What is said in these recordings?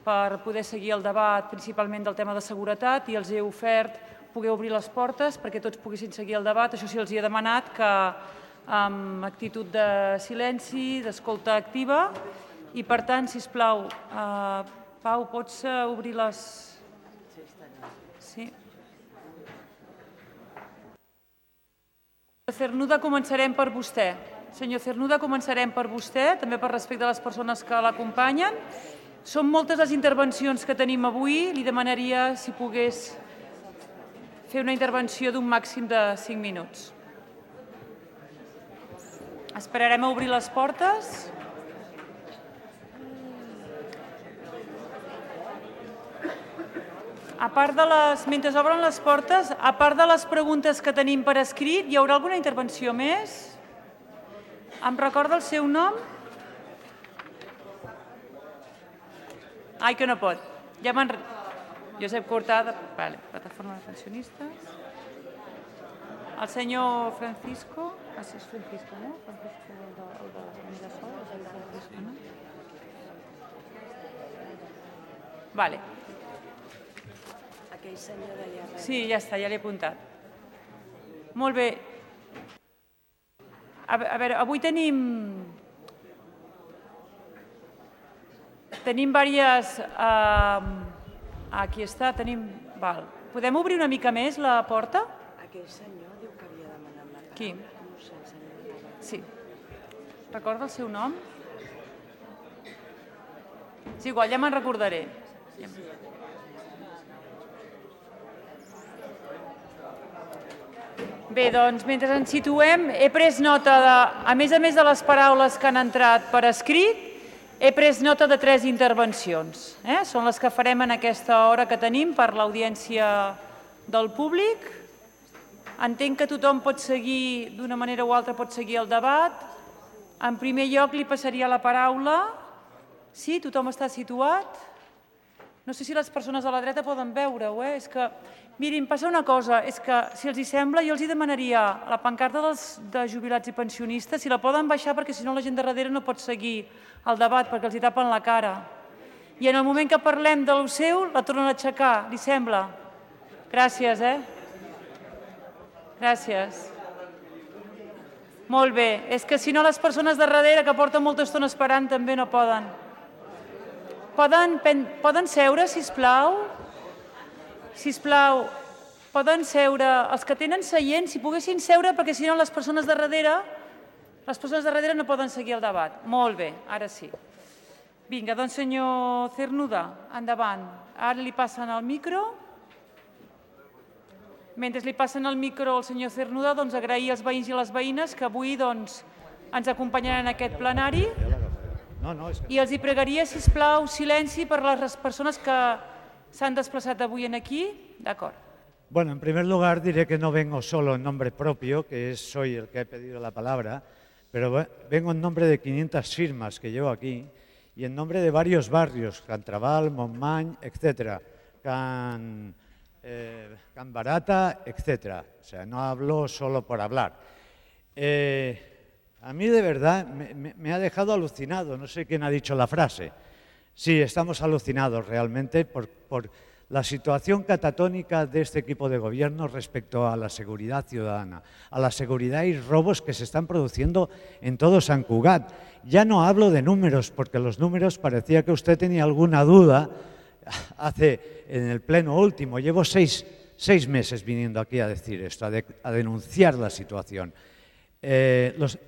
per poder seguir el debat principalment del tema de seguretat i els he ofert poder obrir les portes perquè tots poguessin seguir el debat. Això sí, els he demanat que amb actitud de silenci, d'escolta activa i, per tant, sisplau, Pau, pots obrir les... Sí. Cernuda, començarem per vostè. Senyor Cernuda, començarem per vostè, també per respecte a les persones que l'acompanyen. Són moltes les intervencions que tenim avui. Li demanaria si pogués fer una intervenció d'un màxim de 5 minuts. Esperarem a obrir les portes. A part de les... Mentre obren les portes, a part de les preguntes que tenim per escrit, hi haurà alguna intervenció més? Em recorda el seu nom? Ai, que no pot. Ja m'han... Josep Cortada, vale, Plataforma de Pensionistes. El senyor Francisco... Ah, sí, és Francisco, no? Francisco, el de Mirasol, és el Francisco, no? Vale. Aquell senyor d'allà darrere. Sí, ja està, ja l'he apuntat. Molt bé. A veure, avui tenim diverses... Aquí està, tenim... Val. Podem obrir una mica més la porta? Aquell senyor diu que havia demanat la paraula. Qui? No sé, el senyor. Sí. Recorda el seu nom? És igual, ja me'n recordaré. Bé, doncs, mentre ens situem, he pres nota de, a més de les paraules que han entrat per escrit, he pres nota de 3 intervencions. Són les que farem en aquesta hora que tenim per l'audiència del públic. Entenc que tothom pot seguir, d'una manera o altra, pot seguir el debat. En primer lloc, li passaria la paraula. Sí, tothom està situat? No sé si les persones a la dreta poden veure-ho, És que, mirin, passa una cosa, és que, si els hi sembla, jo els hi demanaria la pancarta de jubilats i pensionistes, si la poden baixar, perquè si no la gent de darrere no pot seguir el debat, perquè els hi tapen la cara. I en el moment que parlem de lo seu, la tornen a aixecar, li sembla? Gràcies, Gràcies. Molt bé, és que si no les persones de darrere, que porten molta estona esperant, també no poden. Poden seure, sisplau? Sisplau, poden seure. Els que tenen seient, si poguessin seure, perquè si no les persones de darrere no poden seguir el debat. Molt bé, ara sí. Vinga, doncs senyor Cernuda, endavant. Ara li passen el micro. Mentre li passen el micro al senyor Cernuda, doncs agrair als veïns i a les veïnes que avui ens acompanyaran en aquest plenari. I els hi pregaria, sisplau, silenci per les persones que s'han desplazado avui aquí. De acuerdo. Bueno, en primer lugar diré que no vengo solo en nombre propio, que soy el que he pedido la palabra, pero vengo en nombre de 500 firmas que llevo aquí y en nombre de varios barrios, Cantraval, Montmany, etcétera, Can Barata, etcétera. O sea, no hablo solo por hablar. A mí de verdad me ha dejado alucinado, no sé quién ha dicho la frase. Sí, estamos alucinados realmente por la situación catatónica de este equipo de gobierno respecto a la seguridad ciudadana, a la seguridad y robos que se están produciendo en todo Sant Cugat. Ya no hablo de números, porque los números parecía que usted tenía alguna duda en el pleno último. Llevo seis meses viniendo aquí a decir esto, a denunciar la situación.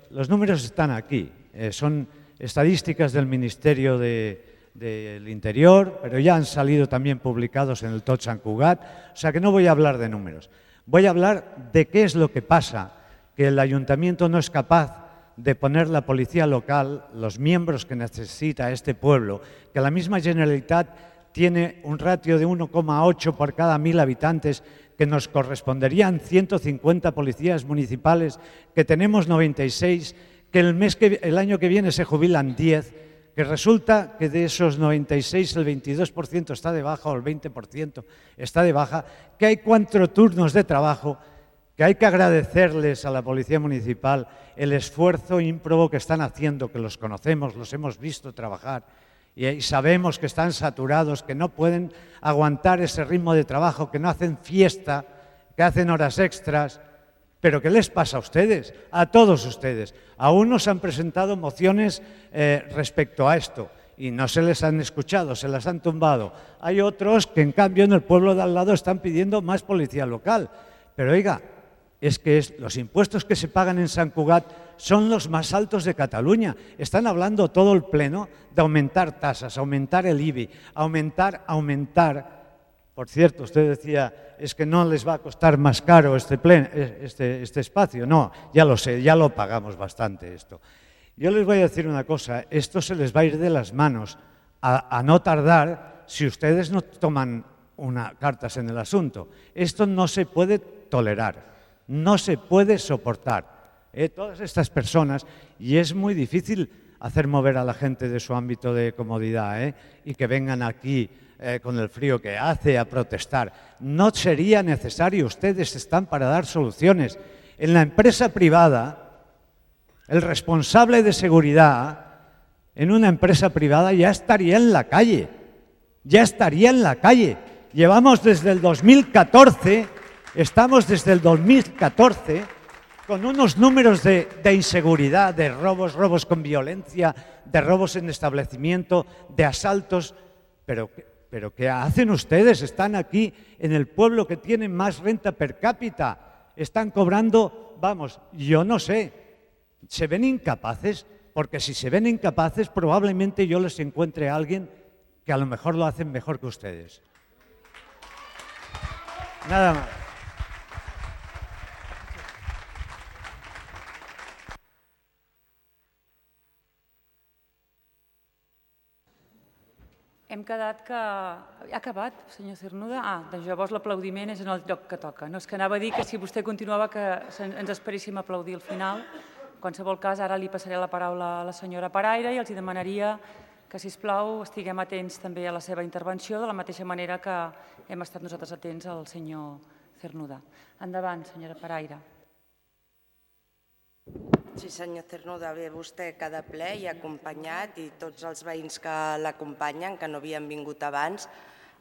Los números están aquí, son estadísticas del Ministerio del Interior, pero ya han salido también publicados en el Tot Sant Cugat, o sea que no voy a hablar de números. Voy a hablar de qué es lo que pasa, que el Ayuntamiento no es capaz de poner la policía local, los miembros que necesita este pueblo, que la misma Generalitat tiene un ratio de 1,8 por cada 1000 habitantes, que nos corresponderían 150 policías municipales, que tenemos 96, que el año que viene se jubilan 10, que resulta que de esos 96 el 22% está de baja o el 20% está de baja, que hay 4 turnos de trabajo, que hay que agradecerles a la Policía Municipal el esfuerzo ímprobo que están haciendo, que los conocemos, los hemos visto trabajar, y sabemos que están saturados, que no pueden aguantar ese ritmo de trabajo, que no hacen fiesta, que hacen horas extras. ¿Pero qué les pasa a ustedes? A todos ustedes. A unos han presentado mociones respecto a esto y no se les han escuchado, se las han tumbado. Hay otros que, en cambio, en el pueblo de al lado están pidiendo más policía local. Pero, oiga, es que los impuestos que se pagan en Sant Cugat son los más altos de Cataluña. Están hablando todo el pleno de aumentar tasas, aumentar el IBI, aumentar. Por cierto, usted decía, es que no les va a costar más caro este espacio. No, ya lo sé, ya lo pagamos bastante esto. Yo les voy a decir una cosa, esto se les va a ir de las manos a no tardar si ustedes no toman cartas en el asunto. Esto no se puede tolerar, no se puede soportar. Todas estas personas, y es muy difícil hacer mover a la gente de su ámbito de comodidad y que vengan aquí con el frío que hace a protestar. No sería necesario, ustedes están para dar soluciones. En la empresa privada, el responsable de seguridad en una empresa privada ya estaría en la calle, Llevamos desde el 2014, estamos desde el 2014 con unos números de inseguridad, de robos con violencia, de robos en establecimiento, de asaltos. Pero ¿qué hacen ustedes? Están aquí en el pueblo que tiene más renta per cápita. Están cobrando, vamos, yo no sé. ¿Se ven incapaces? Porque si se ven incapaces, probablemente yo les encuentre a alguien que a lo mejor lo hacen mejor que ustedes. Nada más. Hem quedat que... Ha acabat, senyor Cernuda? Doncs llavors l'aplaudiment és en el lloc que toca. No, és que anava a dir que si vostè continuava que ens esperéssim a aplaudir al final. En qualsevol cas, ara li passaré la paraula a la senyora Paraire i els demanaria que, sisplau, estiguem atents també a la seva intervenció, de la mateixa manera que hem estat nosaltres atents al senyor Cernuda. Endavant, senyora Paraire. Sí, senyor Cernuda, bé, vostè cada ple hi ha acompanyat i tots els veïns que l'acompanyen, que no havien vingut abans,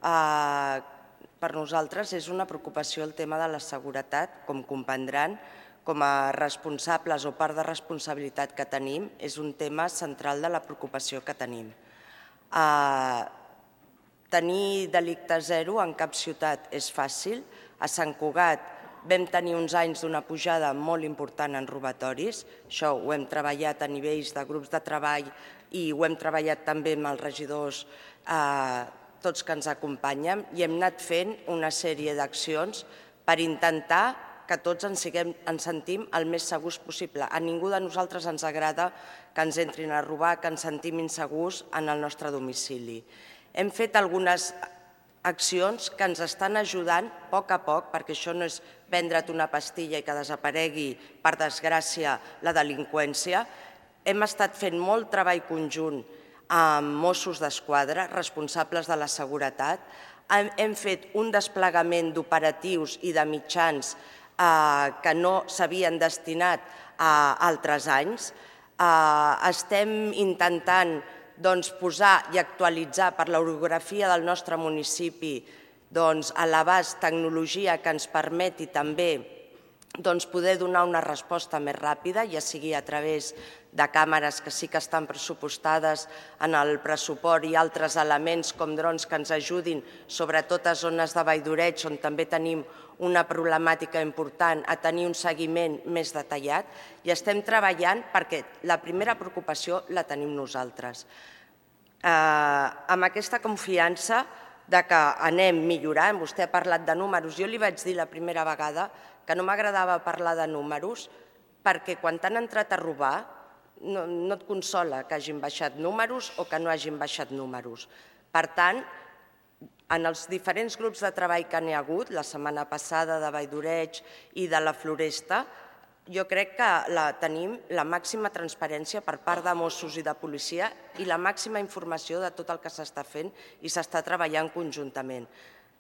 per nosaltres és una preocupació el tema de la seguretat, com comprendran, com a responsables o part de responsabilitat que tenim, és un tema central de la preocupació que tenim. Tenir delicte zero en cap ciutat és fàcil. A Sant Cugat vam tenir uns anys d'una pujada molt important en robatoris. Això ho hem treballat a nivells de grups de treball i ho hem treballat també amb els regidors, tots que ens acompanyen, i hem anat fent una sèrie d'accions per intentar que tots ens sentim el més segurs possible. A ningú de nosaltres ens agrada que ens entrin a robar, que ens sentim insegurs en el nostre domicili. Hem fet algunes accions que ens estan ajudant a poc, perquè això no és vendre't una pastilla i que desaparegui, per desgràcia, la delinqüència. Hem estat fent molt treball conjunt amb Mossos d'Esquadra, responsables de la seguretat. Hem fet un desplegament d'operatius i de mitjans que no s'havien destinat a altres anys. Estem intentant posar i actualitzar per l'orografia del nostre municipi a l'abast tecnologia que ens permeti també poder donar una resposta més ràpida, ja sigui a través de càmeres que sí que estan pressupostades en el pressupost i altres elements com drons que ens ajudin, sobretot a zones de Vall d'Oreig, on també tenim una problemàtica important, a tenir un seguiment més detallat, i estem treballant perquè la primera preocupació la tenim nosaltres. Amb aquesta confiança que anem millorant, vostè ha parlat de números, jo li vaig dir la primera vegada que no m'agradava parlar de números perquè quan t'han entrat a robar no et consola que hagin baixat números o que no hagin baixat números. Per tant, en els diferents grups de treball que n'hi ha hagut, la setmana passada de Vall d'Oreig i de la Floresta, jo crec que tenim la màxima transparència per part de Mossos i de policia i la màxima informació de tot el que s'està fent i s'està treballant conjuntament.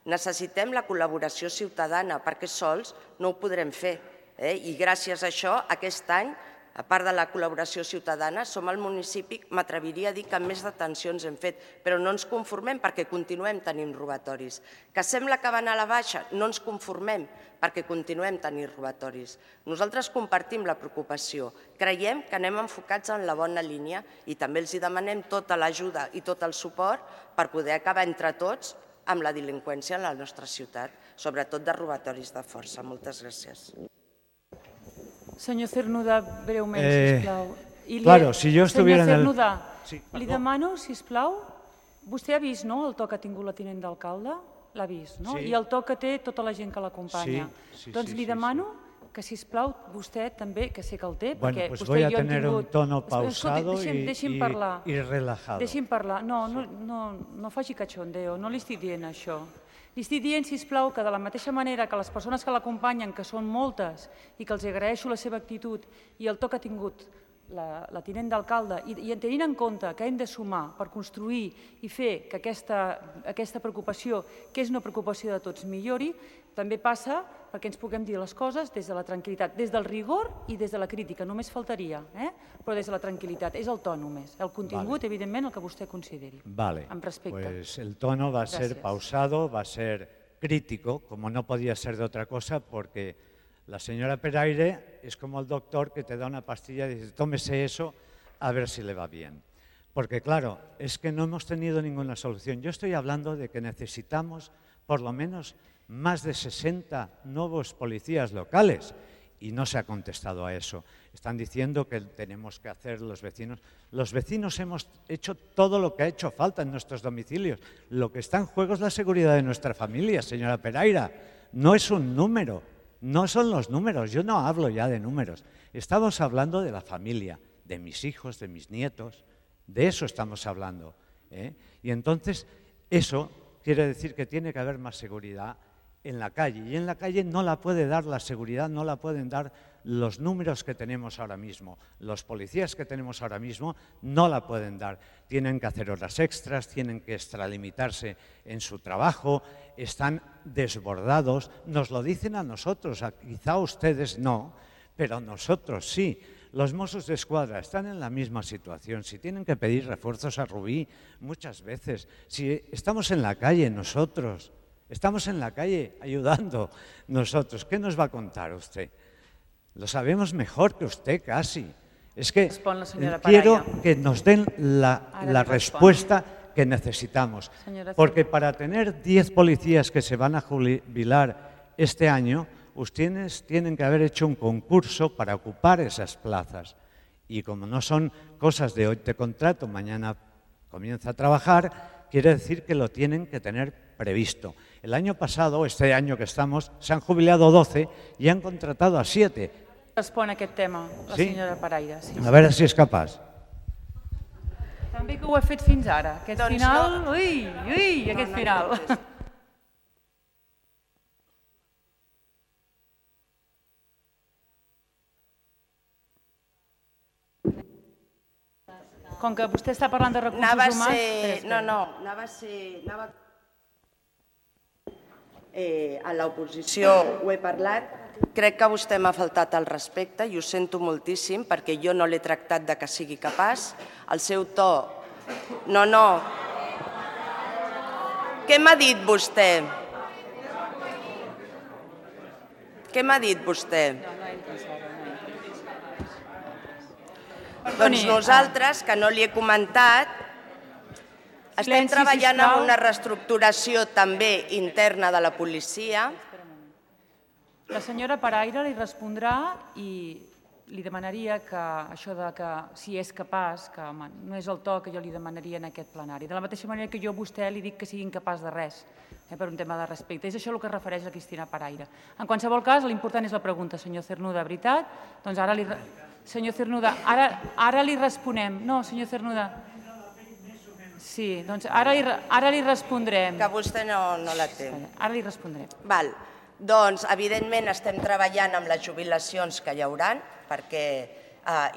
Necessitem la col·laboració ciutadana perquè sols no ho podrem fer i gràcies a això aquest any a part de la col·laboració ciutadana, som el municipi, m'atreviria a dir que més detencions hem fet, però no ens conformem perquè continuem tenint robatoris. Que sembla que van a la baixa, no ens conformem perquè continuem tenint robatoris. Nosaltres compartim la preocupació, creiem que anem enfocats en la bona línia i també els demanem tota l'ajuda i tot el suport per poder acabar entre tots amb la delinqüència en la nostra ciutat, sobretot de robatoris de força. Moltes gràcies. Senyor Cernuda, breument, sisplau. Claro, si jo estuviera en el... Senyor Cernuda, li demano, sisplau, vostè ha vist el to que ha tingut la tinent d'alcalde? L'ha vist, no? I el to que té tota la gent que l'acompanya. Doncs li demano que, sisplau, vostè també, que sé que el té, perquè vostè i jo hem tingut... Bueno, pues voy a tener un tono pausado y relajado. Deixi'm parlar. No faci cachondeo, no li estic dient això. Li estic dient, sisplau, que de la mateixa manera que les persones que l'acompanyen, que són moltes, i que els agraeixo la seva actitud i el to que ha tingut la tinent d'alcalde, i tenint en compte que hem de sumar per construir i fer que aquesta preocupació, que és una preocupació de tots, millori, també passa perquè ens puguem dir les coses des de la tranquil·litat, des del rigor i des de la crítica, només faltaria, però des de la tranquil·litat, és el to només, el contingut, evidentment, el que vostè consideri, amb respecte. Pues el tono va a ser pausado, va a ser crítico, como no podía ser de otra cosa, porque la señora Peraire es como el doctor que te da una pastilla y dice, tómese eso a ver si le va bien. Porque claro, es que no hemos tenido ninguna solución. Yo estoy hablando de que necesitamos por lo menos más de 60 nuevos policías locales y no se ha contestado a eso. Están diciendo que tenemos que hacer los vecinos. Los vecinos hemos hecho todo lo que ha hecho falta en nuestros domicilios. Lo que está en juego es la seguridad de nuestra familia, señora Peraire. No es un número, no son los números. Yo no hablo ya de números. Estamos hablando de la familia, de mis hijos, de mis nietos. De eso estamos hablando. Y entonces eso quiere decir que tiene que haber más seguridad en la calle, y en la calle no la puede dar la seguridad, no la pueden dar los números que tenemos ahora mismo. Los policías que tenemos ahora mismo no la pueden dar. Tienen que hacer horas extras, tienen que extralimitarse en su trabajo, están desbordados. Nos lo dicen a nosotros, quizá a ustedes no, pero nosotros sí. Los Mossos d'Esquadra están en la misma situación. Si tienen que pedir refuerzos a Rubí muchas veces, si estamos en la calle nosotros, estamos en la calle ayudando nosotros. ¿Qué nos va a contar usted? Lo sabemos mejor que usted casi. Es que quiero que nos den la respuesta que necesitamos. Porque para tener 10 policías que se van a jubilar este año, ustedes tienen que haber hecho un concurso para ocupar esas plazas. Y como no son cosas de hoy te contrato, mañana comienza a trabajar, quiere decir que lo tienen que tener previsto. El año pasado, este año que estamos, se han jubilado 12 y han contratado a 7. Respon a aquest tema, la senyora Peraire. A veure si és capaç. També que ho he fet fins ara. Aquest final, aquest final. Com que vostè està parlant de recursos humans... A l'oposició ho he parlat, crec que vostè m'ha faltat al respecte i ho sento moltíssim perquè jo no l'he tractat de que sigui capaç. El seu to... No. Què m'ha dit vostè? Què m'ha dit vostè? Doncs nosaltres, que no li he comentat, estem treballant en una reestructuració també interna de la policia. La senyora Peraire li respondrà i li demanaria que això de que si és capaç, que no és el to que jo li demanaria en aquest plenari. De la mateixa manera que jo a vostè li dic que sigui incapaç de res, per un tema de respecte. És això el que es refereix a Cristina Peraire. En qualsevol cas, l'important és la pregunta, senyor Cernuda, veritat? Doncs ara li... Senyor Cernuda, ara li responem. No, senyor Cernuda... Sí, doncs ara li respondrem. Que vostè no la té. Ara li respondrem. Val. Doncs, evidentment, estem treballant amb les jubilacions que hi haurà, perquè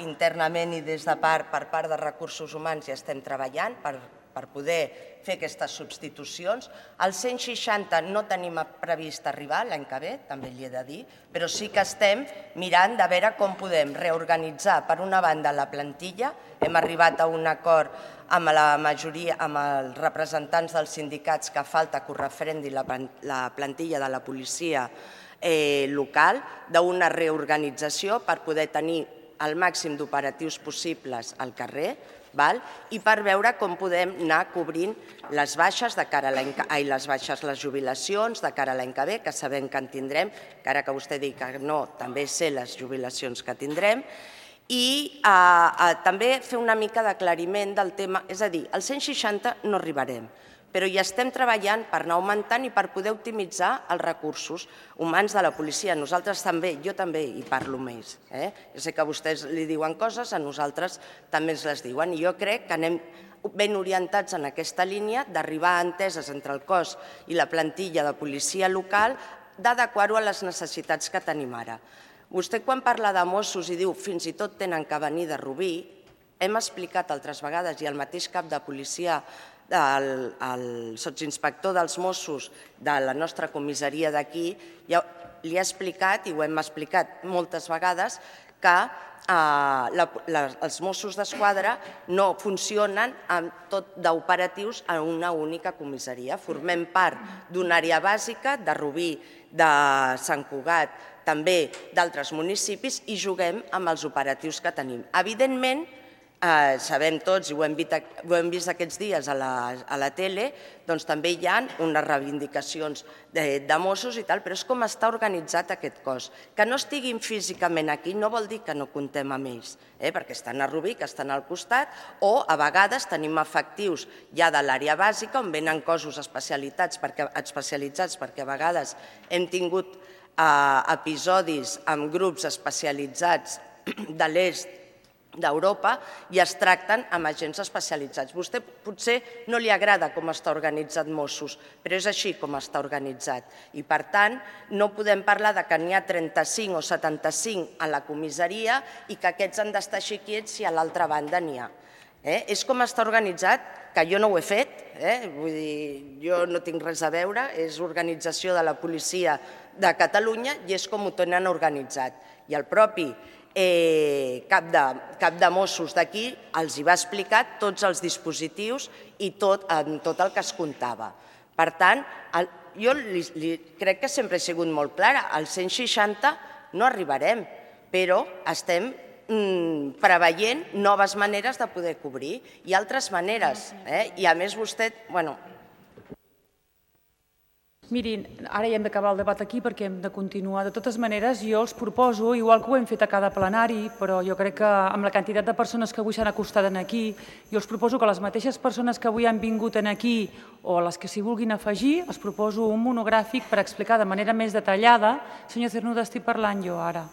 internament i des de per part de recursos humans ja estem treballant per per poder fer aquestes substitucions. Al 160 no tenim previst arribar l'any que ve, també li he de dir, però sí que estem mirant de veure com podem reorganitzar, per una banda, la plantilla. Hem arribat a un acord amb la majoria, amb els representants dels sindicats, que falta que ho referendi la plantilla de la policia local, d'una reorganització per poder tenir el màxim d'operatius possibles al carrer, i per veure com podem anar cobrint les baixes de cara a les jubilacions de cara a l'any que ve, que sabem que en tindrem, encara que vostè digui que no, també sé les jubilacions que tindrem, i també fer una mica d'aclariment del tema, és a dir, al 160 no arribarem, però hi estem treballant per anar augmentant i per poder optimitzar els recursos humans de la policia. Nosaltres també, jo també hi parlo més. Jo sé que vostès li diuen coses, a nosaltres també ens les diuen, i jo crec que anem ben orientats en aquesta línia d'arribar a enteses entre el cos i la plantilla de policia local, d'adequar-ho a les necessitats que tenim ara. Vostè, quan parla de Mossos i diu fins i tot tenen que venir de Rubí, hem explicat altres vegades, i el mateix cap de policia, el sotsinspector dels Mossos de la nostra comissaria d'aquí, li ha explicat, i ho hem explicat moltes vegades, que els Mossos d'Esquadra no funcionen tot d'operatius en una única comissaria. Formem part d'una àrea bàsica de Rubí, de Sant Cugat, també d'altres municipis, i juguem amb els operatius que tenim. Evidentment, sabem tots, i ho hem vist aquests dies a la tele, doncs també hi ha unes reivindicacions de Mossos i tal, però és com està organitzat aquest cos. Que no estiguin físicament aquí no vol dir que no comptem amb ells, perquè estan a Rubí, que estan al costat, o a vegades tenim efectius ja de l'àrea bàsica on venen cossos especialitzats, perquè a vegades hem tingut episodis amb grups especialitzats de l'est d'Europa i es tracten amb agents especialitzats. Vostè potser no li agrada com està organitzat Mossos, però és així com està organitzat. I, per tant, no podem parlar que n'hi ha 35 o 75 a la comissaria i que aquests han d'estar així quiets si a l'altra banda n'hi ha. És com està organitzat, que jo no ho he fet, vull dir, jo no tinc res a veure, és organització de la policia de Catalunya i és com ho tenen organitzat. I el propi cap de Mossos d'aquí els hi va explicar tots els dispositius i tot el que es comptava. Per tant, jo crec que sempre he sigut molt clara, al 160 no arribarem, però estem preveient noves maneres de poder cobrir i altres maneres. I a més vostè, Mirin, ara ja hem d'acabar el debat aquí perquè hem de continuar. De totes maneres, jo els proposo, igual que ho hem fet a cada plenari, però jo crec que amb la quantitat de persones que avui s'han acostat aquí, jo els proposo que les mateixes persones que avui han vingut aquí o les que s'hi vulguin afegir, els proposo un monogràfic per explicar de manera més detallada. Senyor Cernuda, estic parlant jo ara.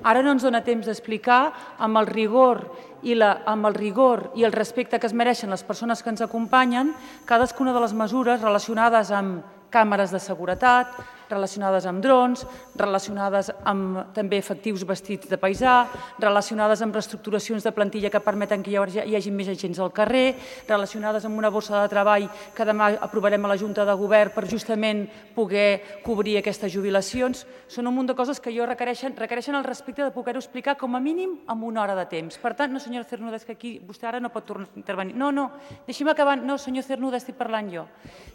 Ara no ens dona temps d'explicar amb el rigor i el respecte que es mereixen les persones que ens acompanyen cadascuna de les mesures relacionades amb càmeres de seguretat, relacionades amb drons, relacionades amb també efectius vestits de paisà, relacionades amb reestructuracions de plantilla que permeten que hi hagi més agents al carrer, relacionades amb una borsa de treball que demà aprovarem a la Junta de Govern per justament poder cobrir aquestes jubilacions. Són un munt de coses que requereixen el respecte de poder-ho explicar com a mínim en una hora de temps. Per tant, no, senyora Cernuda, és que aquí vostè ara no pot tornar a intervenir. No, deixi'm acabar. No, senyor Cernuda, estic parlant jo.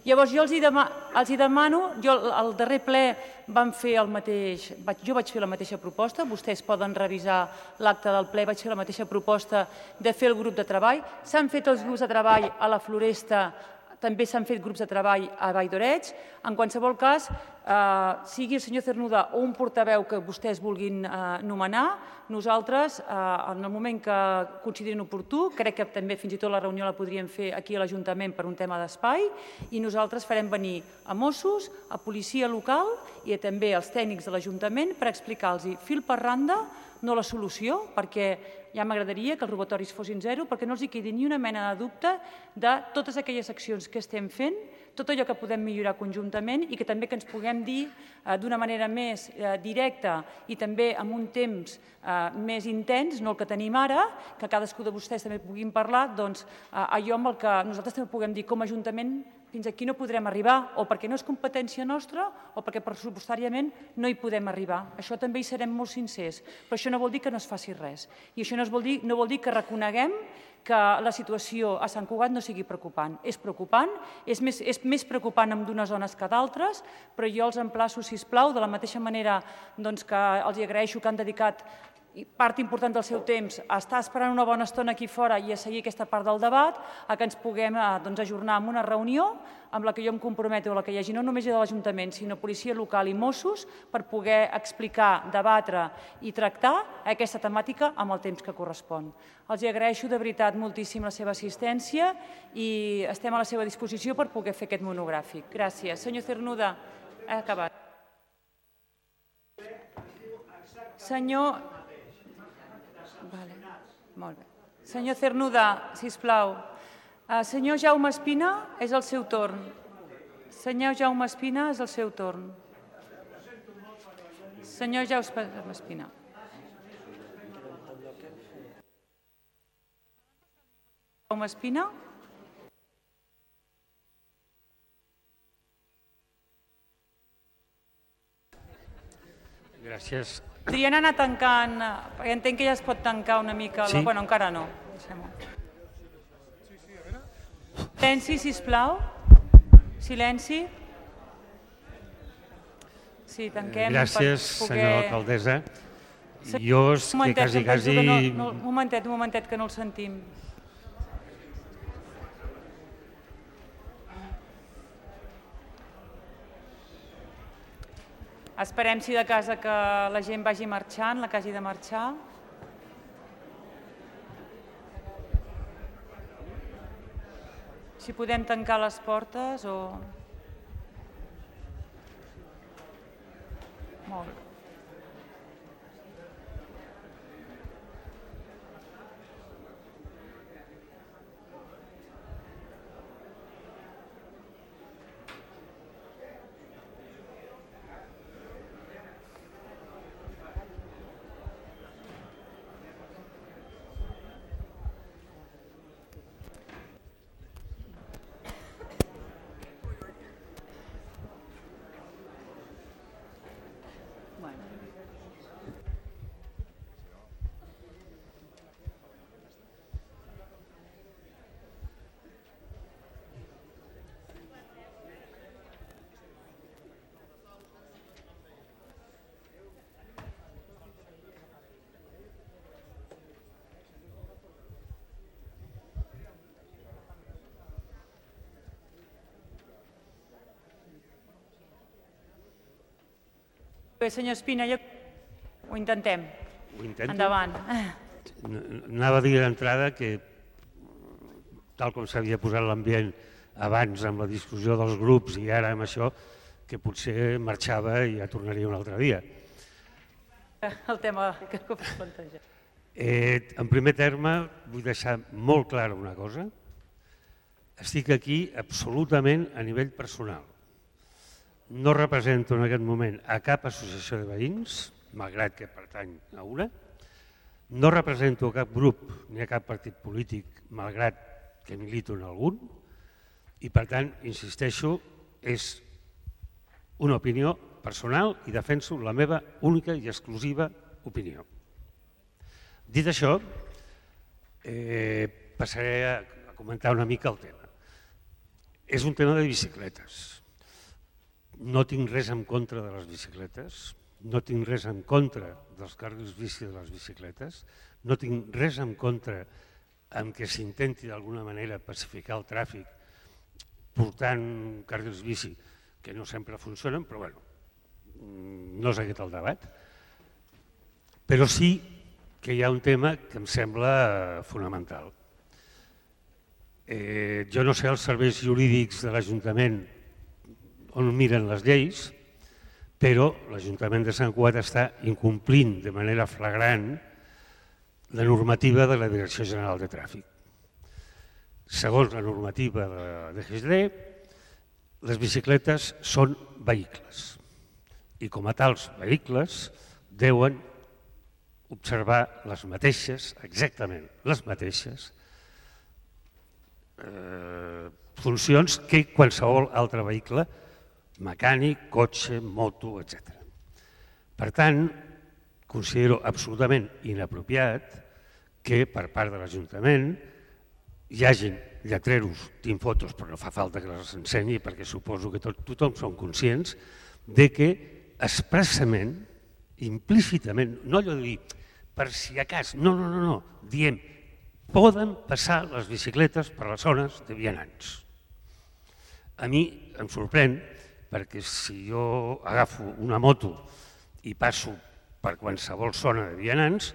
Llavors, jo els hi demano, al darrer ple vam fer el mateix, jo vaig fer la mateixa proposta, vostès poden revisar l'acte del ple, vaig fer la mateixa proposta de fer el grup de treball, s'han fet els grups de treball a la Floresta, també s'han fet grups de treball a Vall d'Oreig. En qualsevol cas, sigui el senyor Cernuda o un portaveu que vostès vulguin nomenar, nosaltres, en el moment que considerin oportú, crec que també fins i tot la reunió la podríem fer aquí a l'Ajuntament per un tema d'espai, i nosaltres farem venir a Mossos, a policia local i també als tècnics de l'Ajuntament per explicar-los fil per randa, no la solució, perquè ja m'agradaria que els robatoris fossin zero, perquè no els quedi ni una mena de dubte de totes aquelles accions que estem fent, tot allò que podem millorar conjuntament i que també que ens puguem dir d'una manera més directa i també amb un temps més intens, no el que tenim ara, que cadascú de vostès també puguin parlar, doncs allò amb el que nosaltres també puguem dir com a Ajuntament fins aquí no podrem arribar, o perquè no és competència nostra o perquè pressupostàriament no hi podem arribar. Això també hi serem molt sincers, però això no vol dir que no es faci res. I això no vol dir que reconeguem que la situació a Sant Cugat no sigui preocupant. És preocupant, és més preocupant en d'unes zones que d'altres, però jo els emplaço, sisplau, de la mateixa manera que els agraeixo que han dedicat part important del seu temps a estar esperant una bona estona aquí fora i a seguir aquesta part del debat, a que ens puguem ajornar en una reunió amb la que jo em comprometo, a la que hi hagi no només de l'Ajuntament, sinó policia local i Mossos, per poder explicar, debatre i tractar aquesta temàtica amb el temps que correspon. Els agraeixo de veritat moltíssim la seva assistència i estem a la seva disposició per poder fer aquest monogràfic. Gràcies. Senyor Cernuda, ha acabat. Senyor... Molt bé. Senyor Cernuda, sisplau. Senyor Jaume Espina, és el seu torn. Senyor Jaume Espina, és el seu torn. Senyor Jaume Espina. Jaume Espina. Gràcies. Podrien anar tancant, perquè entenc que ja es pot tancar una mica... Sí. Bueno, encara no. Silenci, sisplau. Silenci. Sí, tanquem... Gràcies, senyora alcaldessa. Jo és que quasi... Un momentet, que no el sentim. Esperem, si de casa, que la gent vagi marxant, la que hagi de marxar. Si podem tancar les portes o... Molt bé. Bé, senyor Espina, ho intentem. Ho intento? Endavant. Anava a dir d'entrada que, tal com s'havia posat l'ambient abans amb la discussió dels grups i ara amb això, que potser marxava i ja tornaria un altre dia. El tema que es planteja. En primer terme, vull deixar molt clara una cosa. Estic aquí absolutament a nivell personal. No represento en aquest moment a cap associació de veïns, malgrat que pertany a una. No represento a cap grup ni a cap partit polític, malgrat que milito en algun. I per tant, insisteixo, és una opinió personal i defenso la meva única i exclusiva opinió. Dit això, passaré a comentar una mica el tema. És un tema de bicicletes. No tinc res en contra de les bicicletes, no tinc res en contra dels carrils bici de les bicicletes, no tinc res en contra amb que s'intenti d'alguna manera pacificar el tràfic portant carrils bici, que no sempre funcionen, però bueno, no és aquest el debat. Però sí que hi ha un tema que em sembla fonamental. Jo no sé els serveis jurídics de l'Ajuntament on miren les lleis, però l'Ajuntament de Sant Cugat està incomplint de manera flagrant la normativa de la Direcció General de Tràfic. Segons la normativa de DGSD, Les bicicletes són vehicles i com a tals vehicles deuen observar les mateixes, exactament les mateixes, funcions que qualsevol altre vehicle, mecànic, cotxe, moto, etc. Per tant, considero absolutament inapropiat que per part de l'Ajuntament hi hagin lletreros, tinc fotos però no fa falta que les ensenyi perquè suposo que tothom són conscients de que expressament, implícitament, no allò de dir per si a cas, no, diem poden passar les bicicletes per les zones de vianants. A mi em sorprèn perquè si jo agafo una moto i passo per qualsevol zona de vianants,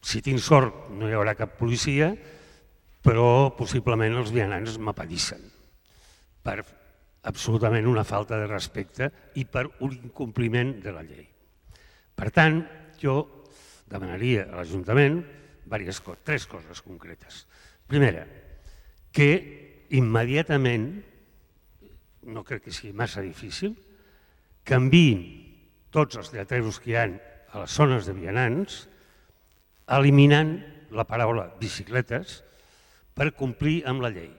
si tinc sort no hi haurà cap policia, però possiblement els vianants m'apallissen per absolutament una falta de respecte i per un incompliment de la llei. Per tant, jo demanaria a l'Ajuntament tres coses concretes. Primera, que immediatament, no crec que sigui massa difícil, canviïn tots els lletreros que hi ha a les zones de vianants, eliminant la paraula bicicletes per complir amb la llei.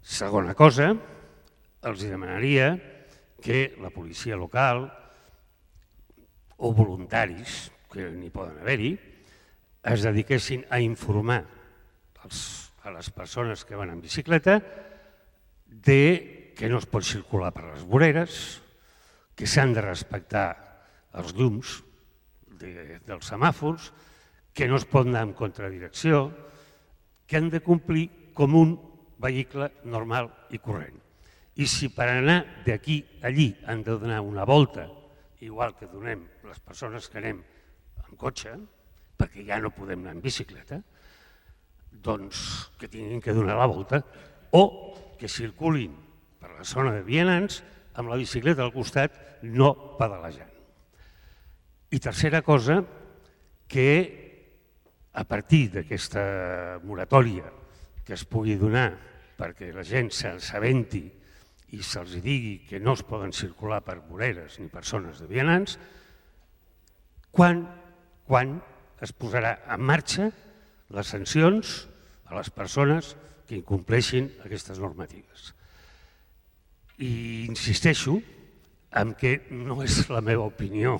Segona cosa, els demanaria que la policia local o voluntaris, que n'hi poden haver-hi, es dediquessin a informar a les persones que van en bicicleta que no es pot circular per les voreres, que s'han de respectar els llums dels semàfors, que no es pot anar en contradirecció, que han de complir com un vehicle normal i corrent. I si per anar d'aquí a allí han de donar una volta, igual que donem les persones que anem en cotxe, perquè ja no podem anar en bicicleta, doncs que tinguin que donar la volta o que circulin per la zona de vianants amb la bicicleta al costat, no pedalejant. I tercera cosa, que a partir d'aquesta moratòria que es pugui donar perquè la gent s'assabenti i se'ls digui que no es poden circular per voreres ni per zones de vianants, quan es posarà en marxa les sancions a les persones que incompleixin aquestes normatives. I insisteixo en que no és la meva opinió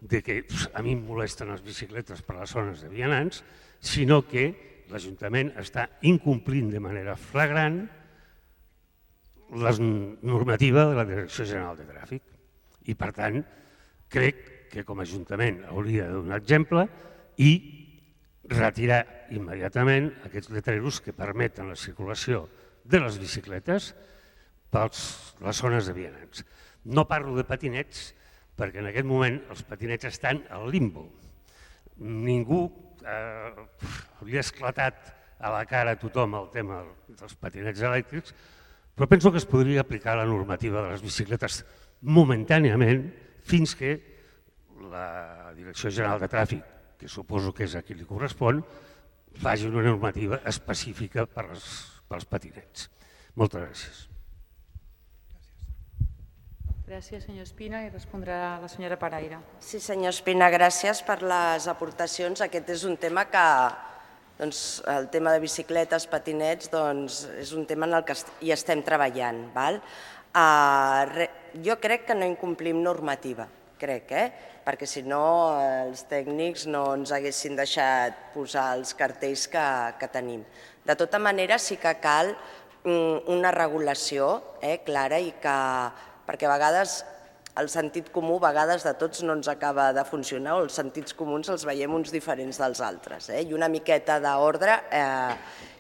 de que a mi em molesten les bicicletes per les zones de vianants, sinó que l'Ajuntament està incomplint de manera flagrant la normativa de la Direcció General de Tràfic. I, per tant, crec que com a Ajuntament hauria de donar exemple i retirar immediatament aquests letreros que permeten la circulació de les bicicletes per les zones de vianants. No parlo de patinets, perquè en aquest moment els patinets estan al limbo. Ningú li ha esclatat a la cara a tothom el tema dels patinets elèctrics, però penso que es podria aplicar la normativa de les bicicletes momentàniament fins que la Direcció General de Tràfic, que suposo que és a qui li correspon, faci una normativa específica per als patinets. Moltes gràcies. Gràcies, senyor Espina, i respondrà la senyora Paraire. Sí, senyor Espina, gràcies per les aportacions. Aquest és un tema que, el tema de bicicletes, patinets, és un tema en el que hi estem treballant. Jo crec que no incomplim normativa, perquè si no els tècnics no ens haguessin deixat posar els cartells que tenim. De tota manera, sí que cal una regulació clara i que perquè a vegades el sentit comú de tots no ens acaba de funcionar o els sentits comuns els veiem uns diferents dels altres i una miqueta d'ordre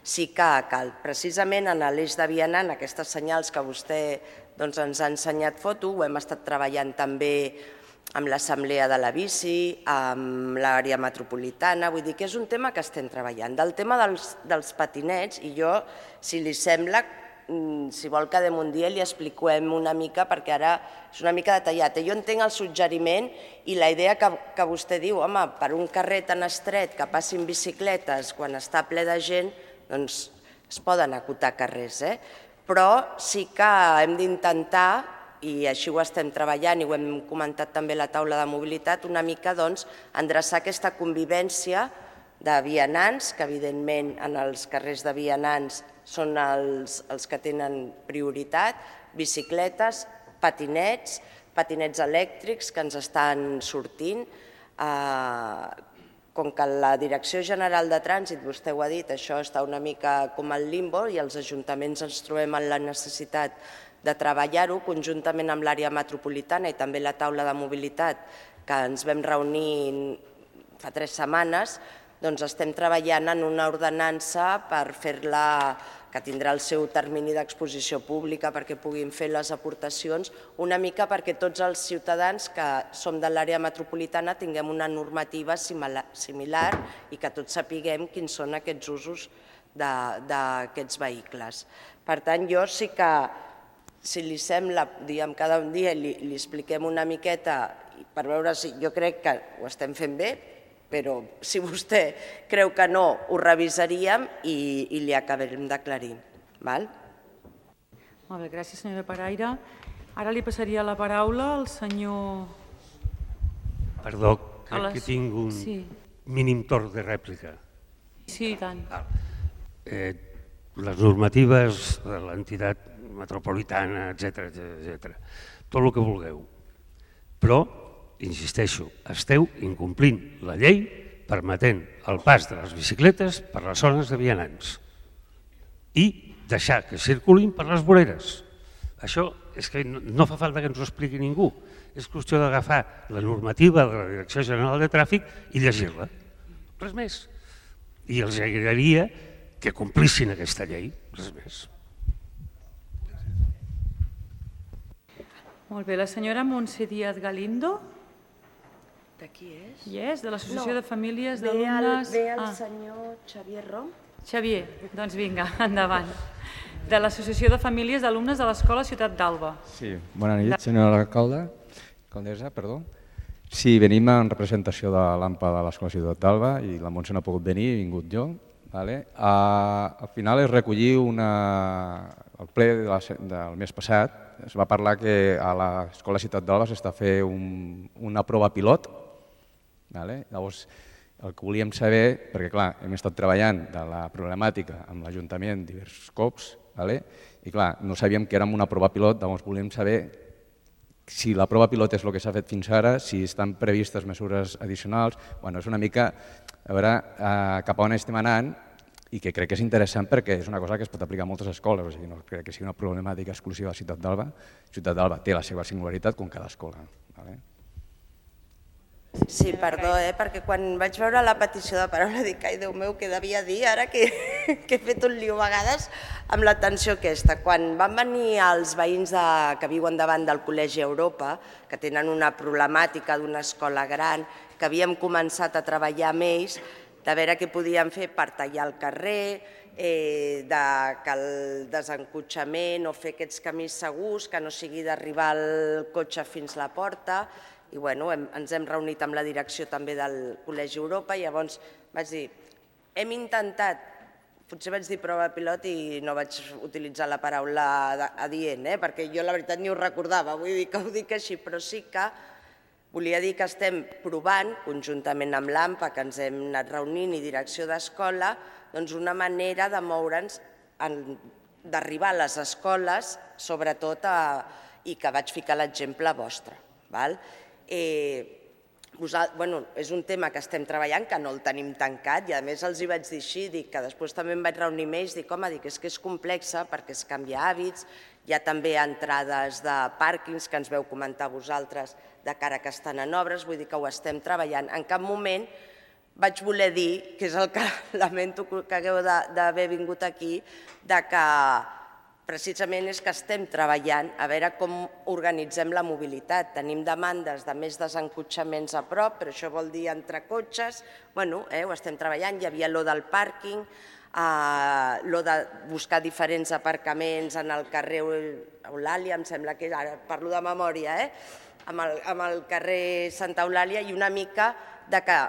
sí que cal. Precisament en l'eix de vianant, aquestes senyals que vostè ens ha ensenyat foto, ho hem estat treballant també amb l'Assemblea de la Bici, amb l'àrea metropolitana, vull dir que és un tema que estem treballant. Del tema dels patinets, i jo, si li sembla, si vol quedem un dia i li expliquem una mica perquè ara és una mica detallat. Jo entenc el suggeriment i la idea que vostè diu, home, per un carrer tan estret que passin bicicletes quan està ple de gent, doncs es poden acotar carrers. però sí que hem d'intentar, i així ho estem treballant i ho hem comentat també a la taula de mobilitat, una mica endreçar aquesta convivència de vianants, que evidentment en els carrers de vianants són els que tenen prioritat, bicicletes, patinets elèctrics que ens estan sortint. Com que la Direcció General de Trànsit, vostè ho ha dit, això està una mica com al limbo i els ajuntaments ens trobem en la necessitat de treballar-ho conjuntament amb l'àrea metropolitana i també la taula de mobilitat que ens vam reunir fa 3 setmanes, doncs estem treballant en una ordenança per fer-la, que tindrà el seu termini d'exposició pública perquè puguin fer les aportacions, una mica perquè tots els ciutadans que som de l'àrea metropolitana tinguem una normativa similar i que tots sapiguem quins són aquests usos d'aquests vehicles. Per tant, jo sí que, si li sembla, cada dia li expliquem una miqueta per veure si jo crec que ho estem fent bé, però si vostè creu que no, ho revisaríem i li acabarem d'aclarir. Molt bé, gràcies, senyora Paraire. Ara li passaria la paraula al senyor... Perdó, crec que tinc un mínim torn de rèplica. Sí, i tant. Les normatives de l'entitat metropolitana, etc., tot el que vulgueu. Però, insisteixo, esteu incomplint la llei permetent el pas de les bicicletes per les zones de vianants i deixar que circulin per les voreres. Això és que no fa falta que ens ho expliqui ningú. És qüestió d'agafar la normativa de la Direcció General de Tràfic i llegir-la. Res més. I els agradaria que complissin aquesta llei. Res més. Molt bé, la senyora Montse Díaz Galindo. De qui és? És de l'Associació de Famílies d'Alumnes... Ve el senyor Xavier Rom. Xavier, doncs vinga, endavant. De l'Associació de Famílies d'Alumnes de l'Escola Ciutat d'Alba. Sí, bona nit, senyora alcaldessa, perdó. Sí, venim en representació de l'AMPA de l'Escola Ciutat d'Alba i la Montse no ha pogut venir, he vingut jo. Al final es recollir el ple del mes passat, es va parlar que a l'Escola Ciutat d'Alba s'està fent una prova pilot. Llavors, el que volíem saber, perquè clar, hem estat treballant de la problemàtica amb l'Ajuntament diversos cops, i clar, no sabíem que érem una prova pilot, llavors volíem saber si la prova pilot és el que s'ha fet fins ara, si estan previstes mesures addicionals. És una mica a veure cap a on estem anant i que crec que és interessant perquè és una cosa que es pot aplicar a moltes escoles, o sigui, no crec que sigui una problemàtica exclusiva de Ciutat d'Alba. Ciutat d'Alba té la seva singularitat com cada escola. Sí, perdó, perquè quan vaig veure la petició de paraula dic, ai, Déu meu, què devia dir ara que he fet un lío a vegades amb l'atenció aquesta. Quan van venir els veïns que viuen davant del Col·legi Europa, que tenen una problemàtica d'una escola gran, que havíem començat a treballar amb ells, de veure què podíem fer per tallar el carrer, que el desencotxament o fer aquests camins segurs, que no sigui d'arribar el cotxe fins a la porta. I ens hem reunit amb la direcció també del Col·legi Europa i llavors vaig dir, hem intentat, potser vaig dir prova pilot i no vaig utilitzar la paraula adient, perquè jo la veritat ni ho recordava, vull dir que ho dic així, però sí que volia dir que estem provant, conjuntament amb l'AMPA, que ens hem anat reunint, i direcció d'escola, doncs una manera de moure'ns, d'arribar a les escoles, sobretot, i que vaig ficar l'exemple vostre. És un tema que estem treballant, que no el tenim tancat, i a més els hi vaig dir així, que després també em vaig reunir amb ells, dic, home, és que és complexa perquè es canvia hàbits, hi ha també entrades de pàrquings que ens veu comentar vosaltres de cara que estan en obres, vull dir que ho estem treballant. En cap moment vaig voler dir, que és el que lamento que hagueu d'haver vingut aquí, que precisament és que estem treballant a veure com organitzem la mobilitat. Tenim demandes de més desencotxaments a prop, però això vol dir entre cotxes. Ho estem treballant. Hi havia allò del pàrquing, allò de buscar diferents aparcaments en el carrer Eulàlia, em sembla que ara parlo de memòria, amb el carrer Santa Eulàlia, i una mica de que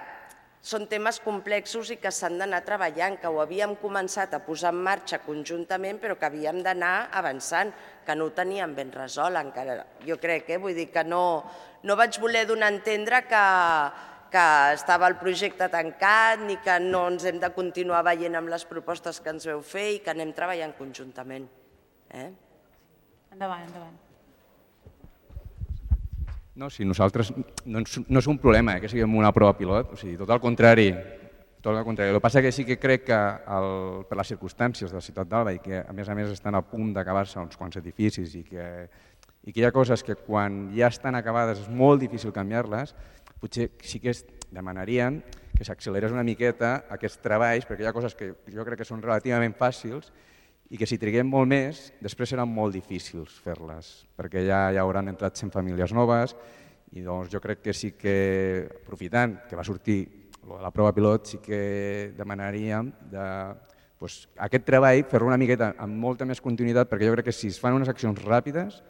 són temes complexos i que s'han d'anar treballant, que ho havíem començat a posar en marxa conjuntament, però que havíem d'anar avançant, que no ho teníem ben resolt encara. Jo crec, vull dir que no vaig voler donar a entendre que estava el projecte tancat ni que no ens hem de continuar veient amb les propostes que ens veu fer i que anem treballant conjuntament. Endavant, endavant. No, si nosaltres no és un problema que siguem una prova pilot, o sigui, tot el contrari. El que passa que sí que crec que per les circumstàncies de la ciutat d'Alba i que a més estan a punt d'acabar-se uns quants edificis i que hi ha coses que quan ja estan acabades és molt difícil canviar-les, potser sí que demanaríem que s'accelerés una miqueta aquests treballs, perquè hi ha coses que jo crec que són relativament fàcils i que si triguem molt més, després seran molt difícils fer-les, perquè ja hauran entrat 100 famílies noves i doncs jo crec que sí que, aprofitant que va sortir la prova pilot, sí que demanaríem aquest treball fer-lo una miqueta amb molta més continuïtat, perquè jo crec que si es fan unes accions ràpides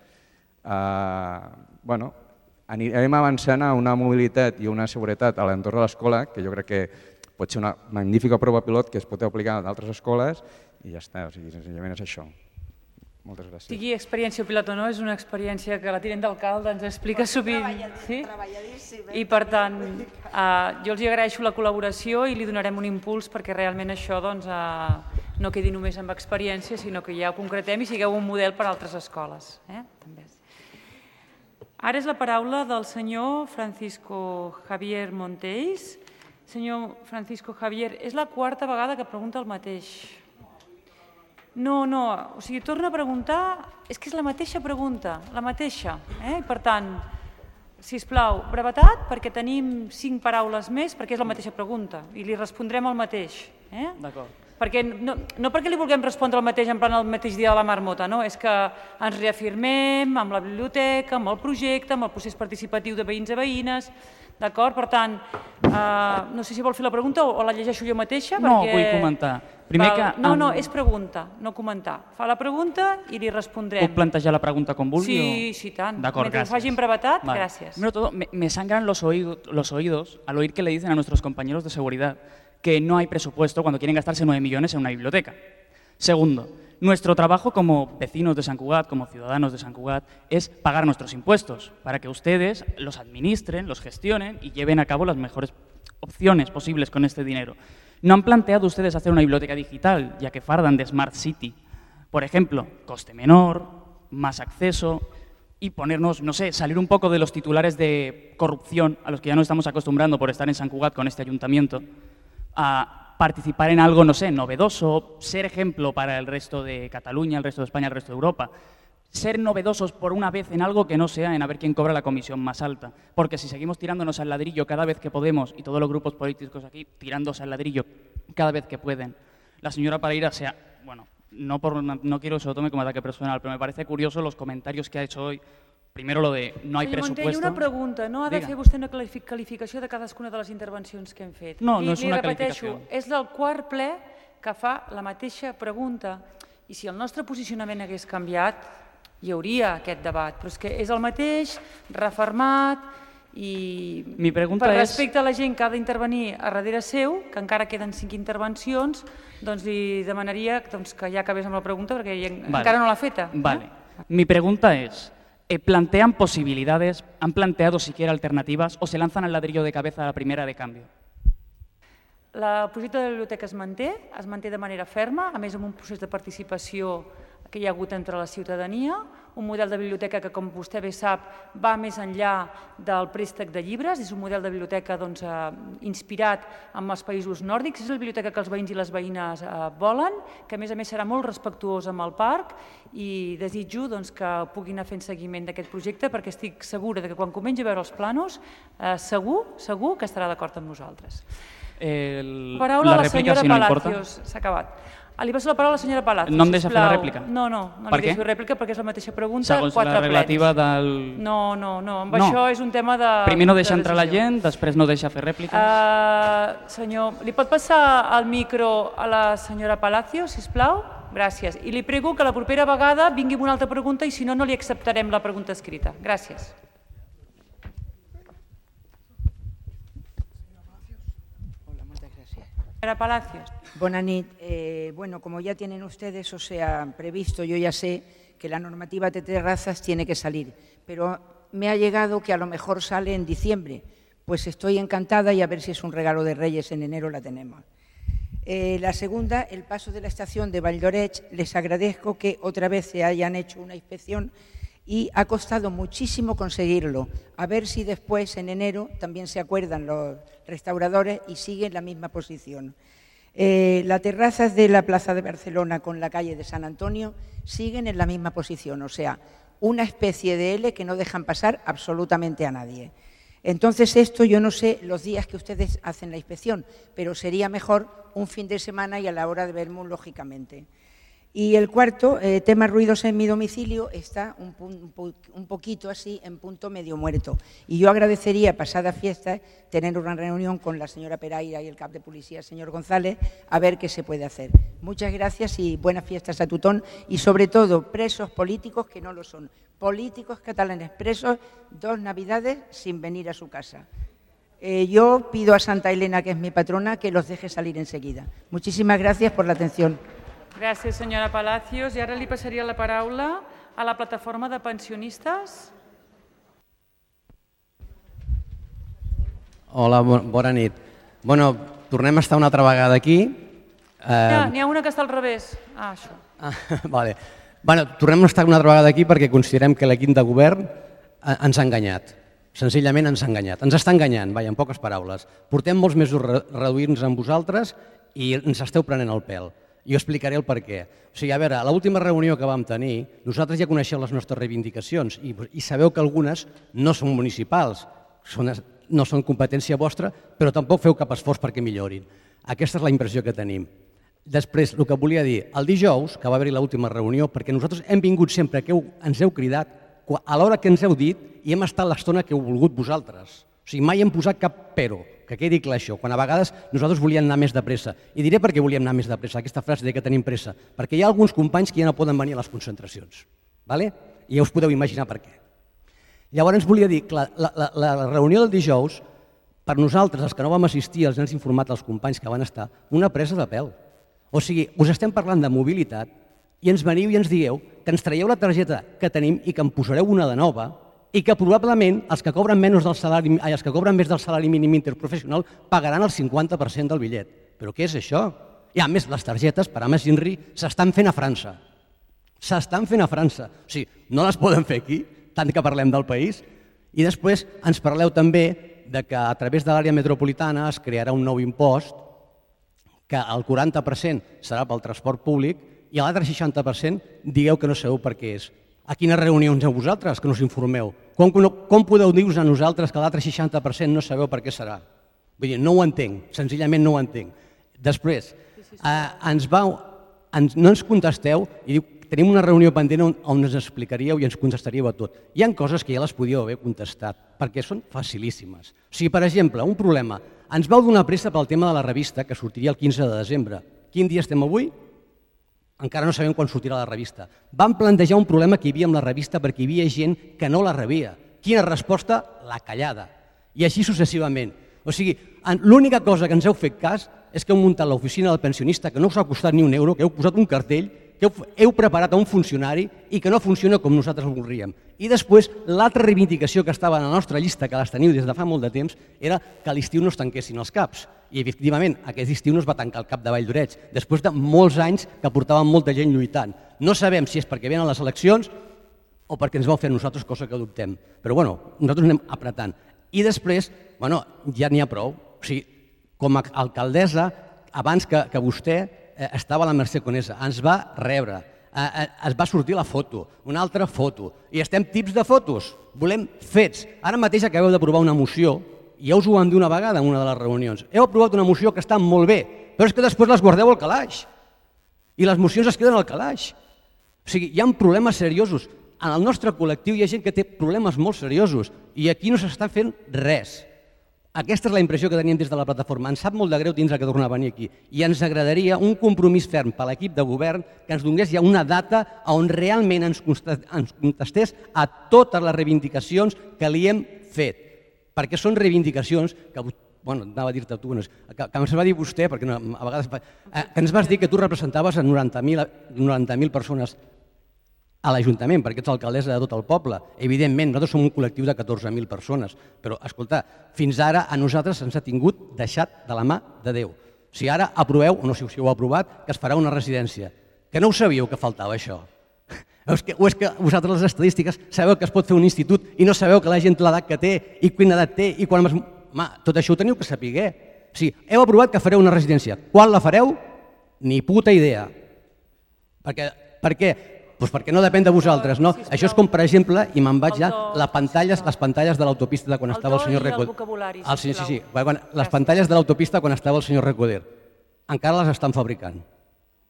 anirem avançant a una mobilitat i una seguretat a l'entorn de l'escola, que jo crec que pot ser una magnífica prova pilot que es pot aplicar a d'altres escoles i ja està, o sigui, senzillament és això. Moltes gràcies. Sigui experiència pilot o no, és una experiència que la tinent d'alcalde ens explica sovint. Treballadíssim. I per tant, jo els agraeixo la col·laboració i li donarem un impuls perquè realment això no quedi només amb experiència, sinó que ja ho concretem i sigueu un model per a altres escoles. Ara és la paraula del senyor Francisco Javier Montells. Senyor Francisco Javier, és la quarta vegada que pregunta el mateix. No, o sigui, torna a preguntar, és que és la mateixa pregunta, la mateixa. Per tant, sisplau, brevetat, perquè tenim 5 paraules més, perquè és la mateixa pregunta, i li respondrem el mateix. D'acord. No perquè li vulguem respondre el mateix en plan el mateix dia de la marmota, no, és que ens reafirmem amb la biblioteca, amb el projecte, amb el procés participatiu de veïns i veïnes, d'acord? Per tant, no sé si vol fer la pregunta o la llegeixo jo mateixa. No, vull comentar. No, és pregunta, no comentar. Fa la pregunta i li respondrem. ¿Puedo plantear la pregunta con vulgui? Sí, tant. D'acord, Mentre ho faci en brevetat, gràcies. Primero de todo, me sangran los oídos al oír que le dicen a nuestros compañeros de seguridad que no hay presupuesto cuando quieren gastarse 9 millones en una biblioteca. Segundo, nuestro trabajo como vecinos de Sant Cugat, como ciudadanos de Sant Cugat, es pagar nuestros impuestos para que ustedes los administren, los gestionen y lleven a cabo las mejores opciones posibles con este dinero. ¿No han planteado ustedes hacer una biblioteca digital, ya que fardan de Smart City? Por ejemplo, coste menor, más acceso y ponernos, no sé, salir un poco de los titulares de corrupción a los que ya nos estamos acostumbrando por estar en Sant Cugat con este ayuntamiento, a participar en algo, no sé, novedoso, ser ejemplo para el resto de Cataluña, el resto de España, el resto de Europa. Ser novedosos por una vez en algo que no sea en a ver quién cobra la comisión más alta. Porque si seguimos tirándonos al ladrillo cada vez que podemos, y todos los grupos políticos aquí tirándose al ladrillo cada vez que pueden, la señora Pareira no quiero que se lo tome como ataque personal, pero me parece curioso los comentarios que ha hecho hoy. Primero lo de no hay presupuesto. Senyor Montell, una pregunta. No ha de fer vostè una qualificació de cadascuna de les intervencions que hem fet. No és una qualificació. És del quart ple que fa la mateixa pregunta. I si el nostre posicionament hagués canviat, hi hauria aquest debat. Però és que és el mateix, refermat, i per respecte a la gent que ha d'intervenir a darrere seu, que encara queden 5 intervencions, doncs li demanaria que ja acabés amb la pregunta perquè encara no l'ha feta. Vale. Mi pregunta es, ¿plantean posibilidades, han planteado siquiera alternativas o se lanzan al ladrillo de cabeza a la primera de cambio? El projecte de la biblioteca es manté de manera ferma, a més amb un procés de participació que hi ha hagut entre la ciutadania, un model de biblioteca que, com vostè bé sap, va més enllà del préstec de llibres, és un model de biblioteca inspirat en els països nòrdics, és la biblioteca que els veïns i les veïnes volen, que a més serà molt respectuós amb el parc i desitjo que puguin anar fent seguiment d'aquest projecte perquè estic segura que quan comenci a veure els planos segur que estarà d'acord amb nosaltres. Paraula a la senyora Palacios. S'ha acabat. Li passo la paraula a la senyora Palacios. No em deixa fer la rèplica? No li deixo fer rèplica perquè és la mateixa pregunta. Segons la relativa del... No, amb això és un tema de... Primer no deixa entrar la gent, després no deixa fer rèpliques. Senyor, li pot passar el micro a la senyora Palacios, sisplau? Gràcies. I li prego que la propera vegada vingui amb una altra pregunta i si no, no li acceptarem la pregunta escrita. Gràcies. Señora Palacios. Buenas noches. Bueno, como ya tienen ustedes, o sea, previsto, yo ya sé que la normativa de terrazas tiene que salir, pero me ha llegado que a lo mejor sale en diciembre. Pues estoy encantada y a ver si es un regalo de Reyes, en enero la tenemos. La segunda, el paso de la estación de Valldoreix. Les agradezco que otra vez se hayan hecho una inspección y ha costado muchísimo conseguirlo. A ver si después, en enero, también se acuerdan los restauradores y siguen la misma posición. Las terrazas de la Plaza de Barcelona con la calle de San Antonio siguen en la misma posición, o sea, una especie de L que no dejan pasar absolutamente a nadie. Entonces, esto yo no sé los días que ustedes hacen la inspección, pero sería mejor un fin de semana y a la hora de Vermut, lógicamente. Y el cuarto, tema ruidos en mi domicilio, está un poquito así en punto medio muerto. Y yo agradecería, pasadas fiestas, tener una reunión con la señora Peraira y el cap de policía, señor González, a ver qué se puede hacer. Muchas gracias y buenas fiestas a Tutón. Y sobre todo, presos políticos que no lo son. Políticos catalanes presos 2 Navidades sin venir a su casa. Yo pido a Santa Elena, que es mi patrona, que los deje salir enseguida. Muchísimas gracias por la atención. Gràcies, senyora Palacios. I ara li passaria la paraula a la plataforma de pensionistes. Hola, bona nit. Bueno, tornem a estar una altra vegada aquí. N'hi ha una que està al revés. Això. Vale. Bueno, tornem a estar una altra vegada aquí perquè considerem que l'equip de govern ens ha enganyat. Senzillament ens ha enganyat. Ens està enganyant, en poques paraules. Portem molts mesos reduint-nos amb vosaltres i ens esteu prenent el pèl. Jo explicaré el per què. O sigui, a veure, a l'última reunió que vam tenir, nosaltres ja coneixeu les nostres reivindicacions i sabeu que algunes no són municipals, no són competència vostra, però tampoc feu cap esforç perquè millorin. Aquesta és la impressió que tenim. Després, el que volia dir, el dijous, que va haver-hi l'última reunió, perquè nosaltres hem vingut sempre que ens heu cridat a l'hora que ens heu dit i hem estat l'estona que heu volgut vosaltres. O sigui, mai hem posat cap pero. Que quedi clar això, quan a vegades nosaltres volíem anar més de pressa. I diré per què volíem anar més de pressa, aquesta frase de que tenim pressa. Perquè hi ha alguns companys que ja no poden venir a les concentracions. I ja us podeu imaginar per què. Llavors volia dir que la reunió del dijous, per nosaltres, els que no vam assistir, els hem informat als companys que van estar, una presa de pèl. O sigui, us estem parlant de mobilitat i ens veniu i ens dieu que ens traieu la targeta que tenim i que en posareu una de nova i que probablement els que cobren més del salari mínim interprofessional pagaran el 50% del bitllet. Però què és això? I a més, les targetes per Ames Inri s'estan fent a França. S'estan fent a França. O sigui, no les poden fer aquí, tant que parlem del país. I després ens parleu també que a través de l'àrea metropolitana es crearà un nou impost que el 40% serà pel transport públic i l'altre 60% digueu que no sabeu per què és. A quines reunions heu vosaltres que no us informeu? Com podeu dir-nos a nosaltres que l'altre 60% no sabeu per què serà? Vull dir, no ho entenc, senzillament no ho entenc. Després, no ens contesteu i diu que tenim una reunió pendent on ens explicaríeu i ens contestaríeu a tot. Hi ha coses que ja les podíeu haver contestat, perquè són facilíssimes. O sigui, per exemple, un problema. Ens vau donar pressa pel tema de la revista, que sortiria el 15 de desembre. Quin dia estem avui? Encara no sabem quan sortirà la revista. Vam plantejar un problema que hi havia amb la revista perquè hi havia gent que no la rebia. Quina resposta? La callada. I així successivament. O sigui, l'única cosa que ens heu fet cas és que heu muntat l'oficina del pensionista, que no us ha costat ni un euro, que heu posat un cartell, que heu preparat a un funcionari i que no funciona com nosaltres ho voldríem. I després, l'altra reivindicació que estava en la nostra llista, que les teniu des de fa molt de temps, era que a l'estiu no es tanquessin els CAPs. I, efectivament, aquest estiu no es va tancar el CAP de Valldoreix, després de molts anys que portàvem molta gent lluitant. No sabem si és perquè venen les eleccions o perquè ens vau fer a nosaltres, cosa que dubtem. Però, bueno, nosaltres anem apretant. I després, ja n'hi ha prou. O sigui, com a alcaldessa, abans que vostè estava a la Mercè Conesa, ens va rebre, es va sortir la foto, una altra foto, i estem tips de fotos, volem fets. Ara mateix acabeu d'aprovar una moció, i ja us ho vam dir una vegada en una de les reunions, heu aprovat una moció que està molt bé, però és que després les guardeu al calaix, i les mocions es queden al calaix. O sigui, hi ha problemes seriosos. En el nostre col·lectiu hi ha gent que té problemes molt seriosos, i aquí no s'està fent res. Aquesta és la impressió que teníem des de la plataforma. Ens sap molt de greu tindre que tornar a venir aquí. I ens agradaria un compromís ferm per l'equip de govern que ens donés ja una data on realment ens contestés a totes les reivindicacions que li hem fet. Perquè són reivindicacions que bueno, anava a dir-te tu, que ens va dir vostè, perquè a vegades... Que ens vas dir que tu representaves a 90.000 persones a l'Ajuntament, perquè ets alcaldessa de tot el poble. Evidentment, nosaltres som un col·lectiu de 14.000 persones, però, escolta, fins ara a nosaltres ens ha tingut deixat de la mà de Déu. Si ara aproveu, o no sé si ho heu aprovat, que es farà una residència. Que no ho sabíeu que faltava això? O és que vosaltres les estadístiques sabeu que es pot fer un institut i no sabeu que la gent l'edat que té i quina edat té i quan... Home, tot això ho teniu que saber. O sigui, heu aprovat que fareu una residència. Quan la fareu? Ni puta idea. Per què? Doncs perquè no depèn de vosaltres, no? Això és com, per exemple, i me'n vaig ja, les pantalles de l'autopista de quan estava el senyor Recoder. Sí, les pantalles de l'autopista quan estava el senyor Recoder. Encara les estan fabricant.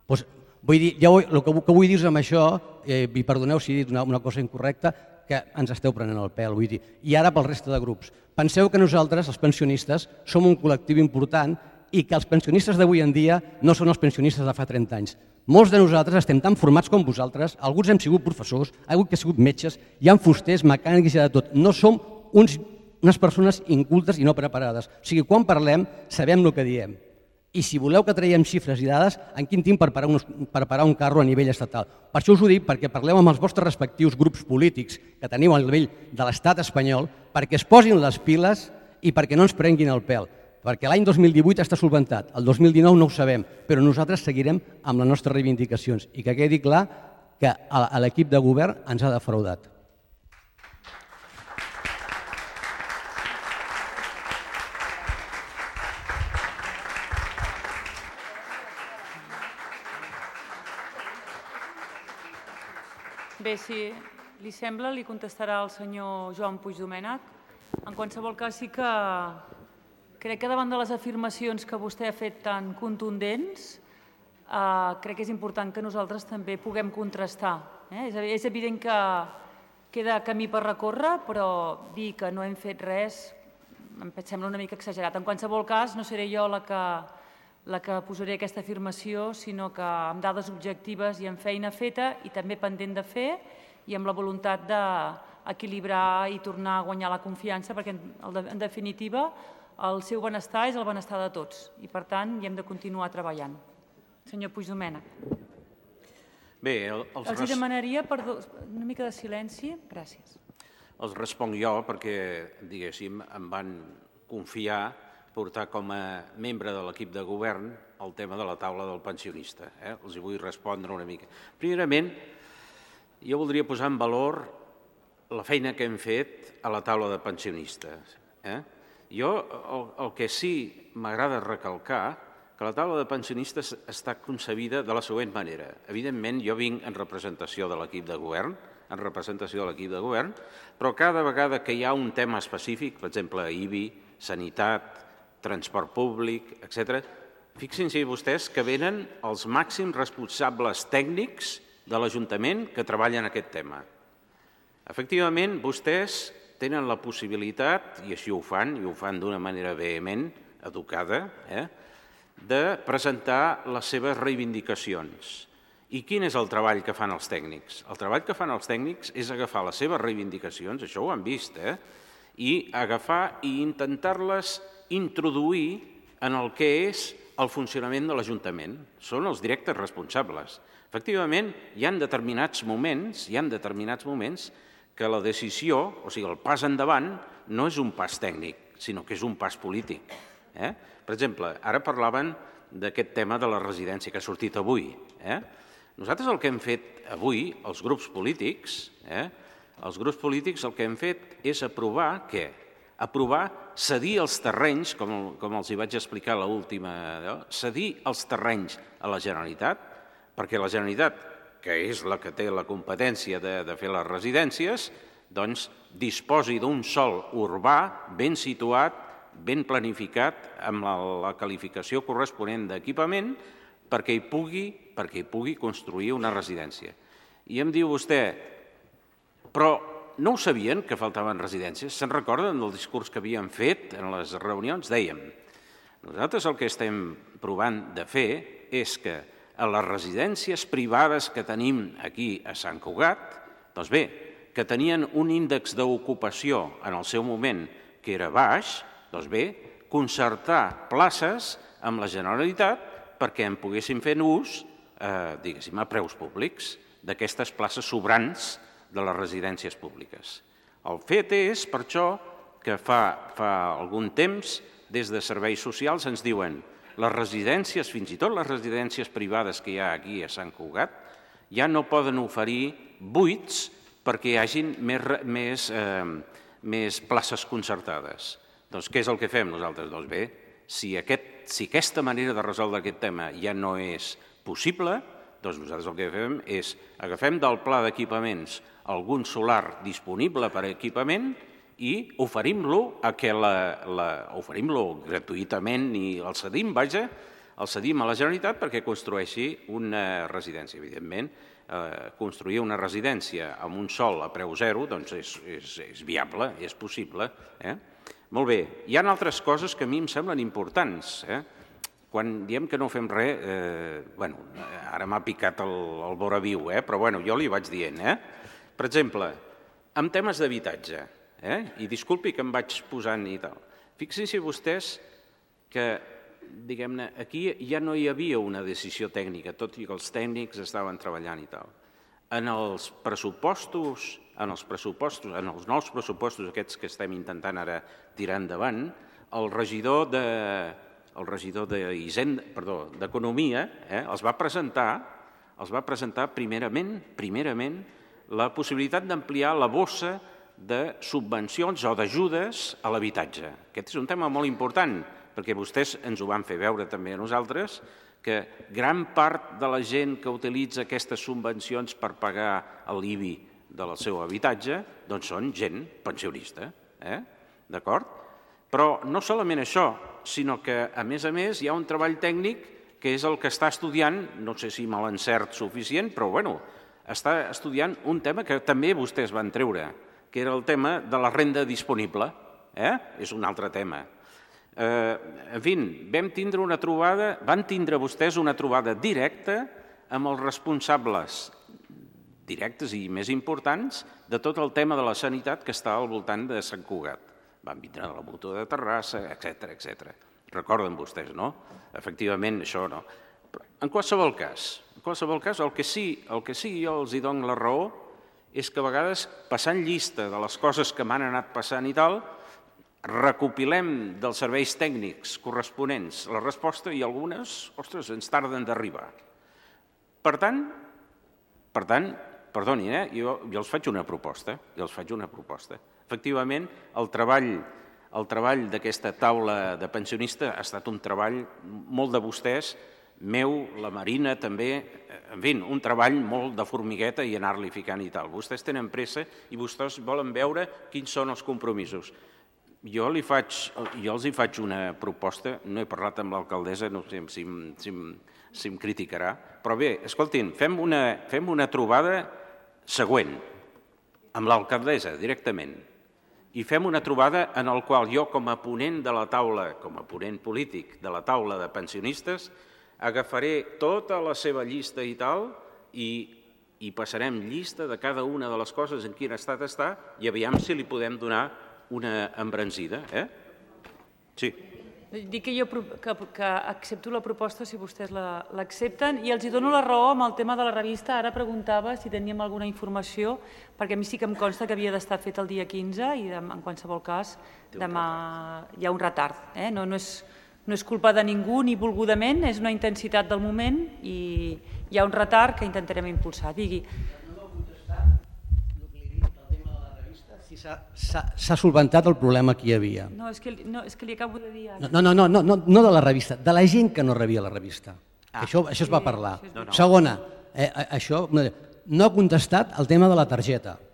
Vull dir, el que vull dir amb això, i perdoneu si he dit una cosa incorrecta, que ens esteu prenent el pèl, vull dir. I ara pel resta de grups. Penseu que nosaltres, els pensionistes, som un col·lectiu important i que els pensionistes d'avui en dia no són els pensionistes de fa 30 anys. Molts de nosaltres estem tan formats com vosaltres, alguns hem sigut professors, alguns hem sigut metges, hi ha fusters, mecànics i de tot. No som unes persones incultes i no preparades. O sigui, quan parlem, sabem el que diem. I si voleu que traiem xifres i dades, en quin temps per parar un carro a nivell estatal? Per això us ho dic, perquè parleu amb els vostres respectius grups polítics que teniu a nivell de l'estat espanyol, perquè es posin les piles i perquè no ens prenguin el pèl. Perquè l'any 2018 està solventat, el 2019 no ho sabem, però nosaltres seguirem amb les nostres reivindicacions i que quedi clar que l'equip de govern ens ha defraudat. Bé, si li sembla, li contestarà el senyor Joan Puigdomènech. En qualsevol cas, sí que crec que davant de les afirmacions que vostè ha fet tan contundents, crec que és important que nosaltres també puguem contrastar. És evident que queda camí per recórrer, però dir que no hem fet res em sembla una mica exagerat. En qualsevol cas, no seré jo la que posaré aquesta afirmació, sinó que amb dades objectives i amb feina feta i també pendent de fer i amb la voluntat d'equilibrar i tornar a guanyar la confiança, perquè en definitiva el seu benestar és el benestar de tots i, per tant, hi hem de continuar treballant. Senyor Puigdomènech. Bé, els demanaria una mica de silenci. Gràcies. Els responc jo perquè, diguéssim, em van confiar portar com a membre de l'equip de govern el tema de la taula del pensionista. Els hi vull respondre una mica. Primerament, jo voldria posar en valor la feina que hem fet a la taula de pensionistes. Jo el que sí m'agrada recalcar que la taula de pensionistes està concebida de la següent manera. Evidentment, jo vinc en representació de l'equip de govern, però cada vegada que hi ha un tema específic, per exemple, IBI, sanitat, transport públic, etc., fixin-se vostès que venen els màxims responsables tècnics de l'Ajuntament que treballen aquest tema. Efectivament, vostès tenen la possibilitat, i així ho fan, i ho fan d'una manera vehement, educada, de presentar les seves reivindicacions. I quin és el treball que fan els tècnics? El treball que fan els tècnics és agafar les seves reivindicacions, això ho han vist, i agafar i intentar-les introduir en el que és el funcionament de l'Ajuntament. Són els directes responsables. Efectivament, hi ha determinats moments que la decisió, o sigui, el pas endavant, no és un pas tècnic, sinó que és un pas polític. Per exemple, ara parlaven d'aquest tema de la residència que ha sortit avui. Nosaltres el que hem fet avui, els grups polítics, el que hem fet és aprovar què? Aprovar cedir els terrenys, com els hi vaig explicar a l'última, cedir els terrenys a la Generalitat, perquè la Generalitat, que és la que té la competència de fer les residències, doncs disposi d'un sòl urbà ben situat, ben planificat, amb la qualificació corresponent d'equipament, perquè hi pugui construir una residència. I em diu vostè, però no ho sabien que faltaven residències? Se'n recorden del discurs que havíem fet en les reunions? Dèiem, nosaltres el que estem provant de fer és que a les residències privades que tenim aquí a Sant Cugat, doncs bé, que tenien un índex d'ocupació en el seu moment que era baix, doncs bé, concertar places amb la Generalitat perquè en poguéssim fer ús, diguéssim, a preus públics d'aquestes places sobrants de les residències públiques. El fet és, per això, que fa algun temps, des de serveis socials ens diuen les residències, fins i tot les residències privades que hi ha aquí a Sant Cugat, ja no poden oferir buits perquè hi hagin més places concertades. Doncs què és el que fem nosaltres? Doncs bé, si aquesta manera de resoldre aquest tema ja no és possible, doncs nosaltres el que fem és agafem del pla d'equipaments algun solar disponible per a equipament i oferim-lo gratuïtament i el cedim, vaja, el cedim a la Generalitat perquè construeixi una residència. Evidentment, construir una residència amb un sòl a preu zero doncs és viable, és possible. Molt bé, hi ha altres coses que a mi em semblen importants. Quan diem que no fem res, ara m'ha picat el vora viu, però jo li vaig dient. Per exemple, en temes d'habitatge, i disculpi que em vaig posant i tal, fixin-se vostès que, diguem-ne, aquí ja no hi havia una decisió tècnica, tot i que els tècnics estaven treballant i tal. En els pressupostos, en els nous pressupostos aquests que estem intentant ara tirar endavant, el regidor d'Economia els va presentar primerament la possibilitat d'ampliar la bossa de subvencions o d'ajudes a l'habitatge. Aquest és un tema molt important, perquè vostès ens ho van fer veure també a nosaltres, que gran part de la gent que utilitza aquestes subvencions per pagar l'IBI del seu habitatge, doncs són gent pensionista, d'acord? Però no solament això, sinó que, a més, hi ha un treball tècnic que és el que està estudiant, no sé si amb l'encert suficient, però està estudiant un tema que també vostès van treure, que era el tema de la renda disponible. És un altre tema. En fi, van tindre vostès una trobada directa amb els responsables directes i més importants de tot el tema de la sanitat que està al voltant de Sant Cugat. Van vindre de la Mútua de Terrassa, etc. Recorden vostès, no? Efectivament, això no. En qualsevol cas, el que sí jo els dono la raó és que a vegades, passant llista de les coses que m'han anat passant i tal, recopilem dels serveis tècnics corresponents la resposta i algunes, ens tarden d'arribar. Per tant, perdonin, jo els faig una proposta. Efectivament, el treball d'aquesta taula de pensionistes ha estat un treball molt de vostès, meu, la Marina també, en fi, un treball molt de formigueta i anar-li ficant i tal. Vostès tenen pressa i vostès volen veure quins són els compromisos. Jo els faig una proposta, no he parlat amb l'alcaldessa, no sé si em criticarà, però bé, escoltin, fem una trobada següent, amb l'alcaldessa directament, i fem una trobada en la qual jo, com a ponent de la taula, com a ponent polític de la taula de pensionistes, agafaré tota la seva llista i tal i passarem llista de cada una de les coses en quin estat està i aviam si li podem donar una embranzida. Sí. Dic que accepto la proposta si vostès l'accepten i els dono la raó amb el tema de la revista. Ara preguntava si teníem alguna informació, perquè a mi sí que em consta que havia d'estar fet el dia 15 i en qualsevol cas demà hi ha un retard. No és culpa de ningú ni volgudament, és una intensitat del moment i hi ha un retard que intentarem impulsar. Digui. No m'ha contestat el que li he dit, el tema de la revista, si s'ha solventat el problema que hi havia. No, és que li acabo de dir ara. No de la revista, de la gent que no rebia la revista. Això es va parlar. Segona, això no ha contestat el tema de la targeta.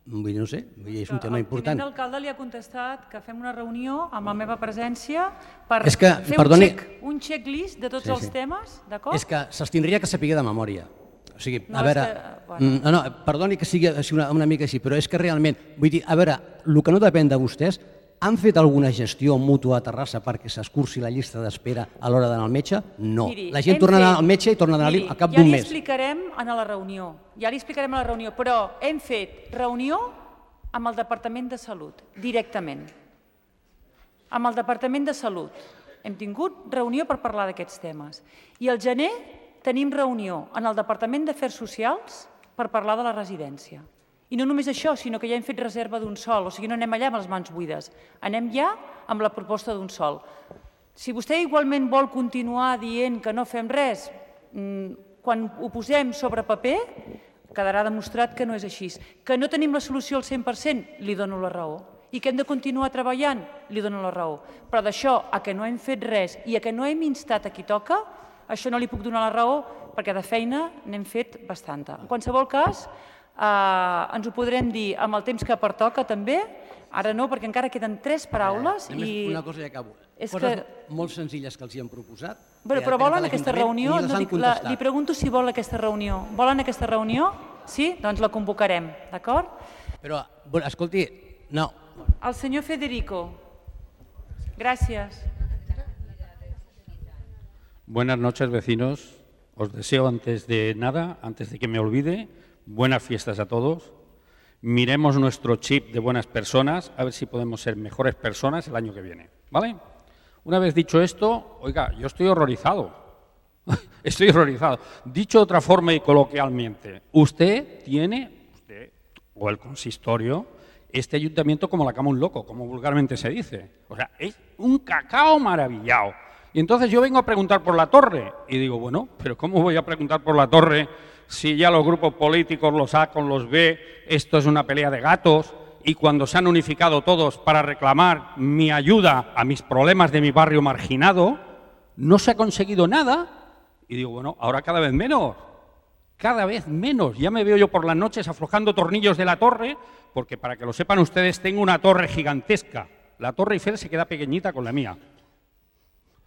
Vull dir, no sé, és un tema important. El tinent d'alcalde li ha contestat que fem una reunió amb la meva presència per fer un checklist de tots els temes, d'acord? És que se'ls tindria que saber de memòria. O sigui, a veure, perdoni que sigui una mica així, però és que realment, vull dir, a veure, el que no depèn de vostès, han fet alguna gestió mútua a Terrassa perquè s'escurci la llista d'espera a l'hora d'anar al metge? No. La gent torna a anar al metge i torna a anar-hi al cap d'un mes. Ja li explicarem a la reunió, però hem fet reunió amb el Departament de Salut, directament. amb el Departament de Salut. Hem tingut reunió per parlar d'aquests temes. I al gener tenim reunió en el Departament d'Afers Socials per parlar de la residència. I no només això, sinó que ja hem fet reserva d'un sòl, o sigui, no anem allà amb les mans buides, anem ja amb la proposta d'un sòl. Si vostè igualment vol continuar dient que no fem res, quan ho posem sobre paper, quedarà demostrat que no és així. Que no tenim la solució al 100%, li dono la raó. I que hem de continuar treballant, li dono la raó. Però d'això, a que no hem fet res i a que no hem instat a qui toca, això no li puc donar la raó, perquè de feina n'hem fet bastanta. En qualsevol cas, ens ho podrem dir amb el temps que pertoca també, ara no, perquè encara queden 3 paraules. Una cosa i acabo. Coses molt senzilles que els hi han proposat. Però volen aquesta reunió? Li pregunto si vol aquesta reunió. Volen aquesta reunió? Sí? Doncs la convocarem, d'acord? Però, escolti, no. El senyor Federico. Gracias. Buenas noches, vecinos. Os deseo antes de nada, antes de que me olvide, buenas fiestas a todos. Miremos nuestro chip de buenas personas, a ver si podemos ser mejores personas el año que viene, ¿vale? Una vez dicho esto, oiga, yo estoy horrorizado. Estoy horrorizado. Dicho de otra forma y coloquialmente, usted o el consistorio, este ayuntamiento como la cama un loco, como vulgarmente se dice. O sea, es un cacao maravillado. Y entonces yo vengo a preguntar por la torre. Y digo, bueno, pero ¿cómo voy a preguntar por la torre si ya los grupos políticos, los A con los B, esto es una pelea de gatos? Y cuando se han unificado todos para reclamar mi ayuda a mis problemas de mi barrio marginado, no se ha conseguido nada. Y digo, bueno, ahora cada vez menos. Cada vez menos. Ya me veo yo por las noches aflojando tornillos de la torre, porque para que lo sepan ustedes, tengo una torre gigantesca. La Torre Eiffel se queda pequeñita con la mía.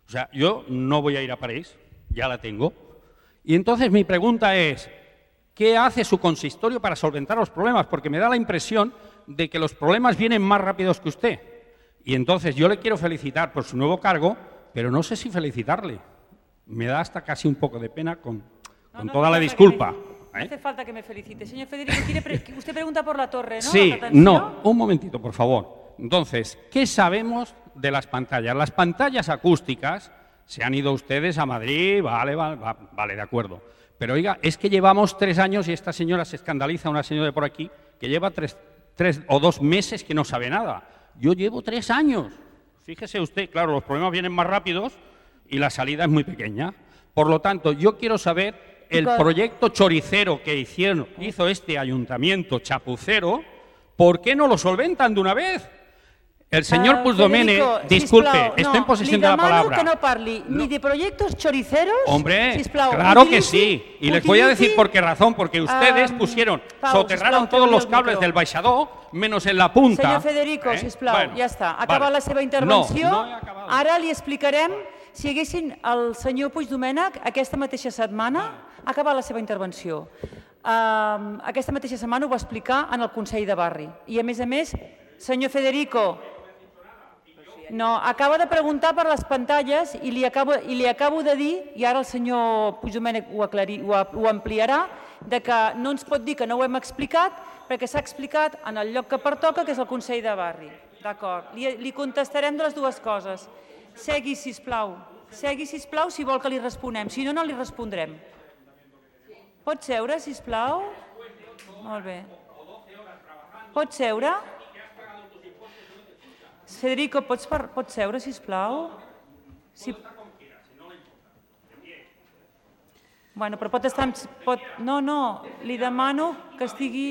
O sea, yo no voy a ir a París, ya la tengo. Y entonces mi pregunta es, ¿qué hace su consistorio para solventar los problemas? Porque me da la impresión de que los problemas vienen más rápidos que usted. Y entonces yo le quiero felicitar por su nuevo cargo, pero no sé si felicitarle. Me da hasta casi un poco de pena con toda la disculpa. No hace falta que me felicite. Señor Federico, usted pregunta por la torre, ¿no? Sí, no, un momentito, por favor. Entonces, ¿qué sabemos de las pantallas? Las pantallas acústicas, se han ido ustedes a Madrid, vale, de acuerdo. Pero oiga, es que llevamos 3 años y esta señora se escandaliza, una señora de por aquí, que lleva 3 o 2 meses que no sabe nada. Yo llevo 3 años. Fíjese usted, claro, los problemas vienen más rápidos y la salida es muy pequeña. Por lo tanto, yo quiero saber el proyecto choricero que hizo este ayuntamiento chapucero, ¿por qué no lo solventan de una vez? El señor Puigdomènech, disculpe, estoy en posesión de la palabra. Li demano que no parli ni de proyectos choriceros, Hombre, sisplau, claro que sí. Y les voy a decir por qué razón. Porque ustedes soterraron todos los cables del baixador, menos en la punta. Senyor Federico, sisplau, ja està. Ha acabat la seva intervenció. No he acabat. Ara li explicarem si haguessin el senyor Puigdomènech aquesta mateixa setmana ha acabat la seva intervenció. Aquesta mateixa setmana ho va explicar en el Consell de Barri. I a més, senyor Federico, no, acaba de preguntar per les pantalles i li acabo de dir, i ara el senyor Puigdomènech ho ampliarà, de que no ens pot dir que no ho hem explicat, perquè s'ha explicat en el lloc que pertoca, que és el Consell de Barri. D'acord, li contestarem de les dues coses. Segui, sisplau, si vol que li responem, si no, no li respondrem. Pot seure, sisplau? Molt bé. Pot seure? Federico, pots seure, sisplau? Bueno, però pot estar... No, li demano que estigui...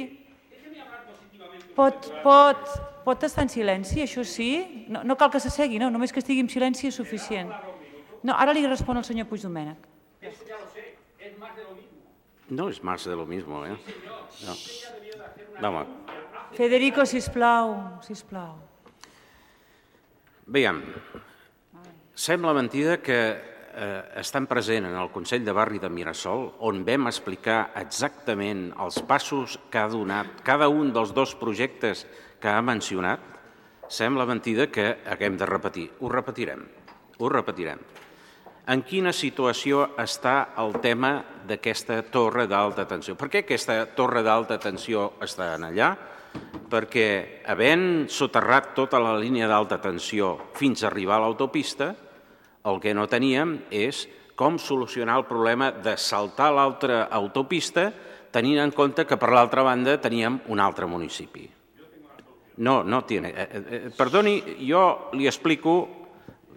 Pot estar en silenci, això sí? No cal que s'assegui, no, només que estigui en silenci és suficient. No, ara li respon el senyor Puigdomènech. No es más de lo mismo, ¿eh? No. Federico, sisplau. Veiem, sembla mentida que estan present en el Consell de Barri de Mirasol, on vam explicar exactament els passos que ha donat cada un dels 2 projectes que ha mencionat, sembla mentida que haguem de repetir. Ho repetirem. En quina situació està el tema d'aquesta torre d'alta tensió? Per què aquesta torre d'alta tensió està allà? perquè havent soterrat tota la línia d'alta tensió fins a arribar a l'autopista, el que no teníem és com solucionar el problema de saltar l'altra autopista tenint en compte que per l'altra banda teníem un altre municipi. No tiene. Perdoni, jo li explico,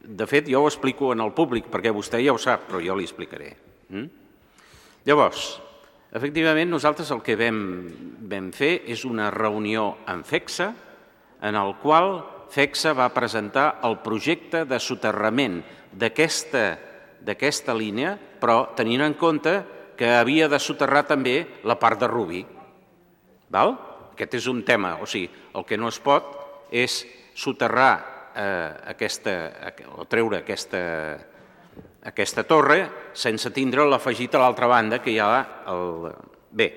de fet jo ho explico en el públic perquè vostè ja ho sap, però jo li explicaré. Llavors, efectivament, nosaltres el que vam fer és una reunió amb FECSA, en el qual FECSA va presentar el projecte de soterrament d'aquesta línia, però tenint en compte que havia de soterrar també la part de Rubí. Aquest és un tema, o sigui, el que no es pot és soterrar o treure aquesta torre sense tindre l'afegit a l'altra banda que hi ha el... Bé,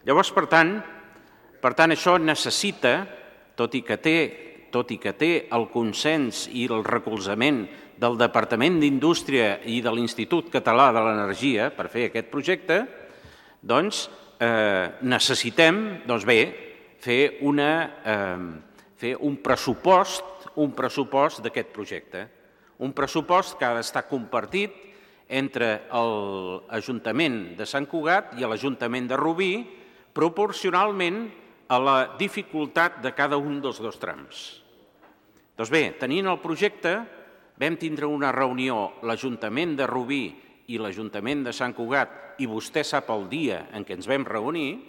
llavors, per tant, això necessita, tot i que té el consens i el recolzament del Departament d'Indústria i de l'Institut Català de l'Energia per fer aquest projecte, doncs necessitem, fer un pressupost d'aquest projecte. Un pressupost que ha d'estar compartit entre l'Ajuntament de Sant Cugat i l'Ajuntament de Rubí proporcionalment a la dificultat de cada un dels dos trams. Doncs bé, tenint el projecte, vam tindre una reunió l'Ajuntament de Rubí i l'Ajuntament de Sant Cugat, i vostè sap el dia en què ens vam reunir-nos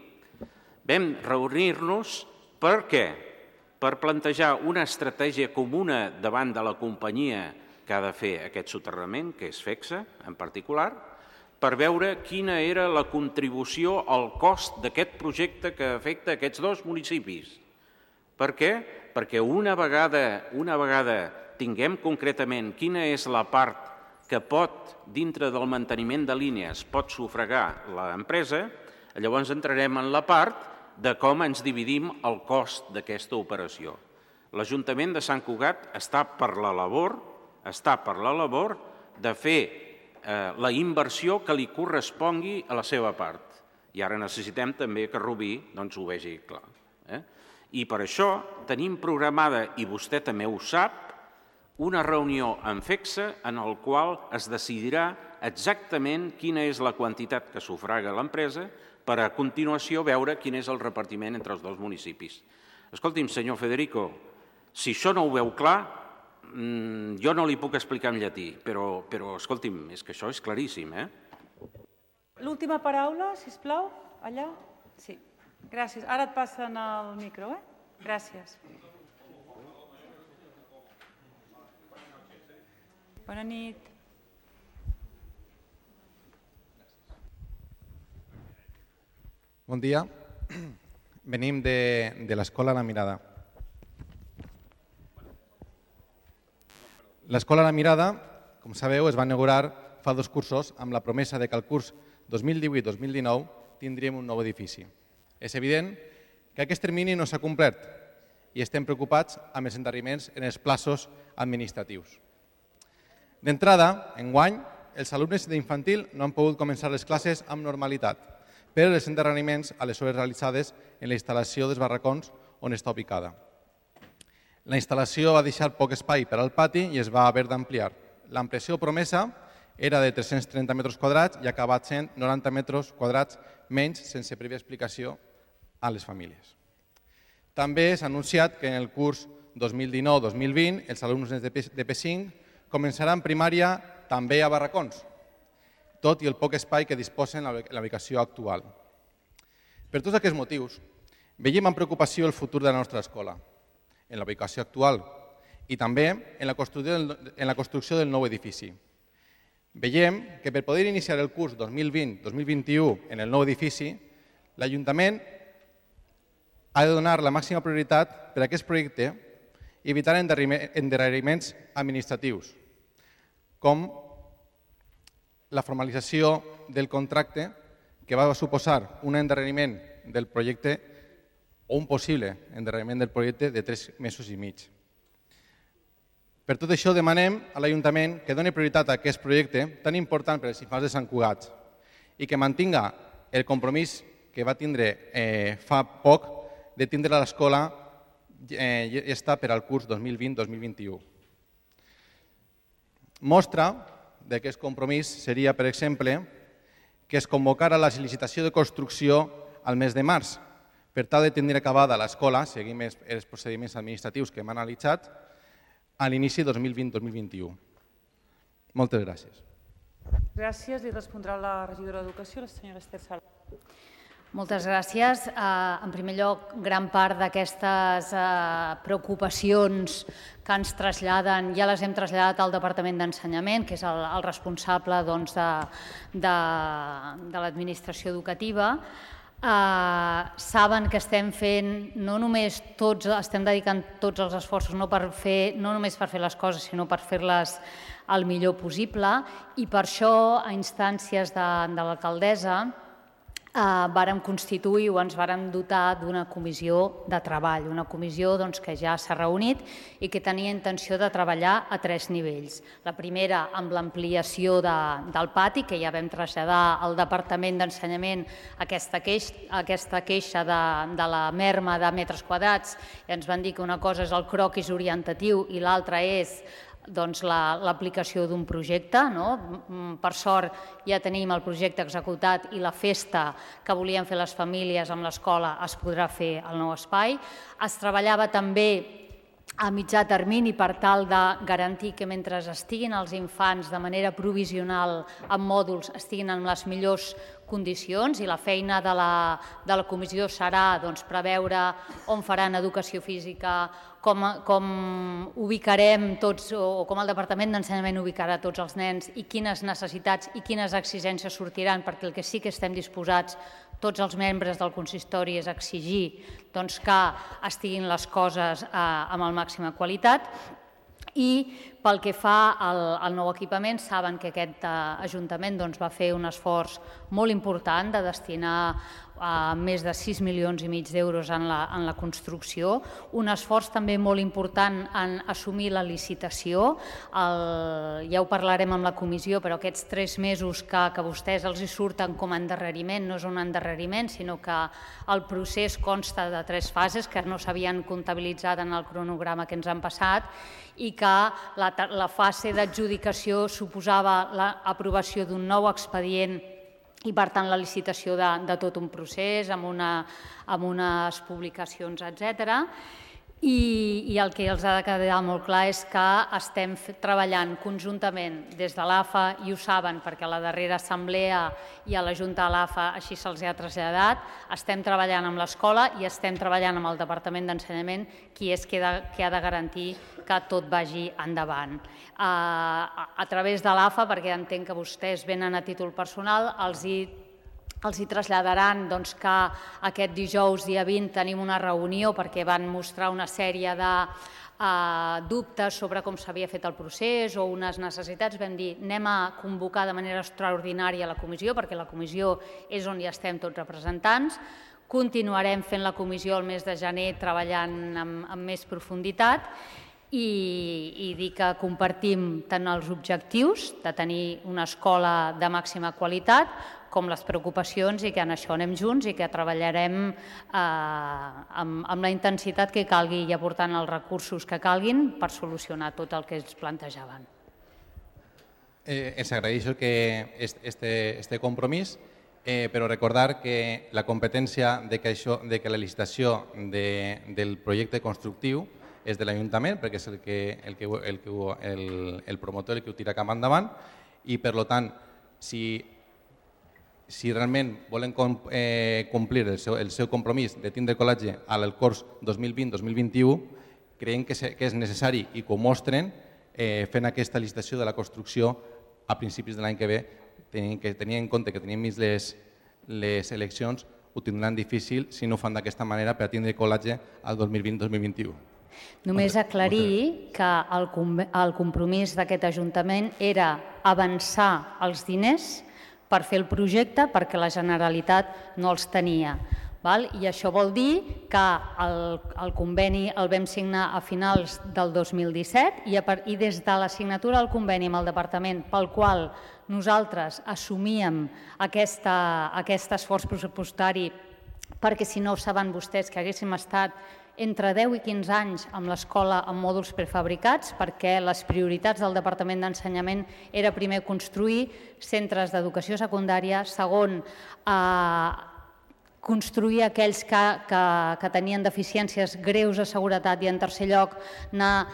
per què? Per plantejar una estratègia comuna davant de la companyia que ha de fer aquest soterrament, que és FECSA en particular, per veure quina era la contribució al cost d'aquest projecte que afecta aquests dos municipis. Per què? Perquè una vegada tinguem concretament quina és la part que pot, dintre del manteniment de línies, pot sufragar l'empresa, llavors entrarem en la part de com ens dividim el cost d'aquesta operació. L'Ajuntament de Sant Cugat està per la labor de fer la inversió que li correspongui a la seva part. I ara necessitem també que Rubí ho vegi clar. I per això tenim programada, i vostè també ho sap, una reunió amb FECSA en el qual es decidirà exactament quina és la quantitat que sufraga l'empresa per a continuació veure quin és el repartiment entre els dos municipis. Escolti'm, senyor Federico, si això no ho veu clar, jo no li puc explicar en llatí, però escolti'm, és que això és claríssim. L'última paraula, sisplau, allà. Sí, gràcies. Ara et passen el micro, Gràcies. Bona nit. Bon dia. Venim de l'Escola La Mirada. L'Escola La Mirada, com sabeu, es va inaugurar fa 2 cursos amb la promesa que al curs 2018-2019 tindríem un nou edifici. És evident que aquest termini no s'ha complert i estem preocupats amb els endarreriments en els plaços administratius. D'entrada, enguany, els alumnes d'infantil no han pogut començar les classes amb normalitat per els endarreriments a les obres realitzades en la instal·lació dels barracons on està ubicada. La instal·lació va deixar poc espai per al pati i es va haver d'ampliar. L'ampliació promesa era de 330 metres quadrats i ha acabat sent 90 metres quadrats menys sense prèvia explicació a les famílies. També s'ha anunciat que en el curs 2019-2020 els alumnes de P5 començaran primària també a barracons, tot i el poc espai que disposen en la ubicació actual. Per tots aquests motius, veiem amb preocupació el futur de la nostra escola, en la ubicació actual i també en la construcció del nou edifici. Veiem que per poder iniciar el curs 2020-2021 en el nou edifici, l'Ajuntament ha de donar la màxima prioritat per a aquest projecte i evitar endarreriments administratius, com la formalització del contracte que va suposar un endarreriment del projecte o un possible endarreriment del projecte de 3 mesos i mig. Per tot això demanem a l'Ajuntament que doni prioritat a aquest projecte tan important per als infants de Sant Cugat i que mantinga el compromís que va tindre fa poc de tindre l'escola està per al curs 2020-2021. Mostra d'aquest compromís seria, per exemple, que es convocara la licitació de construcció al mes de març, per tal de tenir acabada l'escola, seguint els procediments administratius que hem analitzat, a l'inici 2020-2021. Moltes gràcies. Gràcies. Li respondrà la regidora d'Educació, la senyora Esther Sala. Moltes gràcies. En primer lloc, gran part d'aquestes preocupacions que ens traslladen, ja les hem traslladat al Departament d'Ensenyament, que és el responsable de l'administració educativa. Saben que estem fent, no només tots, estem dedicant tots els esforços no només per fer les coses, sinó per fer-les el millor possible, i per això, a instàncies de l'alcaldessa, vàrem constituir o ens vàrem dotar d'una comissió de treball, una comissió que ja s'ha reunit i que tenia intenció de treballar a 3 nivells. La primera, amb l'ampliació del pati, que ja vam traslladar al Departament d'Ensenyament aquesta queixa de la merma de metres quadrats, i ens van dir que una cosa és el croquis orientatiu i l'altra és l'aplicació d'un projecte. Per sort ja tenim el projecte executat i la festa que volien fer les famílies amb l'escola es podrà fer al nou espai. Es treballava també a mitjà termini per tal de garantir que mentre estiguin els infants de manera provisional en mòduls estiguin en les millors condicions, i la feina de la comissió serà preveure on faran educació física, com ubicarem tots, o com el Departament d'Ensenyament ubicarà tots els nens, i quines necessitats i quines exigències sortiran, perquè el que sí que estem disposats tots els membres del consistori és exigir que estiguin les coses amb la màxima qualitat. I pel que fa al nou equipament, saben que aquest Ajuntament va fer un esforç molt important de destinar més de 6,5 milions d'euros en la construcció, un esforç també molt important en assumir la licitació. Ja ho parlarem amb la comissió, però aquests 3 mesos que a vostès els surten com a endarreriment no és un endarreriment, sinó que el procés consta de 3 fases que no s'havien comptabilitzat en el cronograma que ens han passat, i que la fase d'adjudicació suposava l'aprovació d'un nou expedient i, per tant, la licitació de tot un procés amb unes publicacions, etc. I el que els ha de quedar molt clar és que estem treballant conjuntament des de l'AFA, i ho saben perquè a la darrera assemblea i a la Junta de l'AFA així se'ls ha traslladat, estem treballant amb l'escola i estem treballant amb el Departament d'Ensenyament, qui és qui ha de garantir que tot vagi endavant. A través de l'AFA, perquè entenc que vostès venen a títol personal, els hi traslladaran que aquest dijous, dia 20, tenim una reunió perquè van mostrar una sèrie de dubtes sobre com s'havia fet el procés o unes necessitats. Vam dir, anem a convocar de manera extraordinària la comissió, perquè la comissió és on hi estem tots representants. Continuarem fent la comissió el mes de gener treballant amb més profunditat, i dir que compartim tant els objectius de tenir una escola de màxima qualitat com les preocupacions, i que en això anem junts i que treballarem amb la intensitat que calgui i aportant els recursos que calguin per solucionar tot el que ens plantejaven. Els agraeixo este compromís, però recordar que la competència de que la licitació del projecte constructiu és de l'Ajuntament, perquè és el promotor el que ho tira cap endavant, i per tant, si realment volen complir el seu compromís de tindre col·legi al curs 2020-2021, creiem que és necessari, i que ho mostren fent aquesta licitació de la construcció a principis de l'any que ve, tenint en compte que tenim les eleccions, ho tindran difícil si no ho fan d'aquesta manera per tindre col·legi al 2020-2021. Només aclarir que el compromís d'aquest Ajuntament era avançar els diners per fer el projecte perquè la Generalitat no els tenia. I això vol dir que el conveni el vam signar a finals del 2017 i des de la signatura del conveni amb el Departament, pel qual nosaltres assumíem aquest esforç pressupostari perquè si no ho saben vostès que haguéssim estat entre 10 i 15 anys amb l'escola amb mòduls prefabricats, perquè les prioritats del Departament d'Ensenyament era primer construir centres d'educació secundària, segon, construir aquells que tenien deficiències greus de seguretat i, en tercer lloc, anar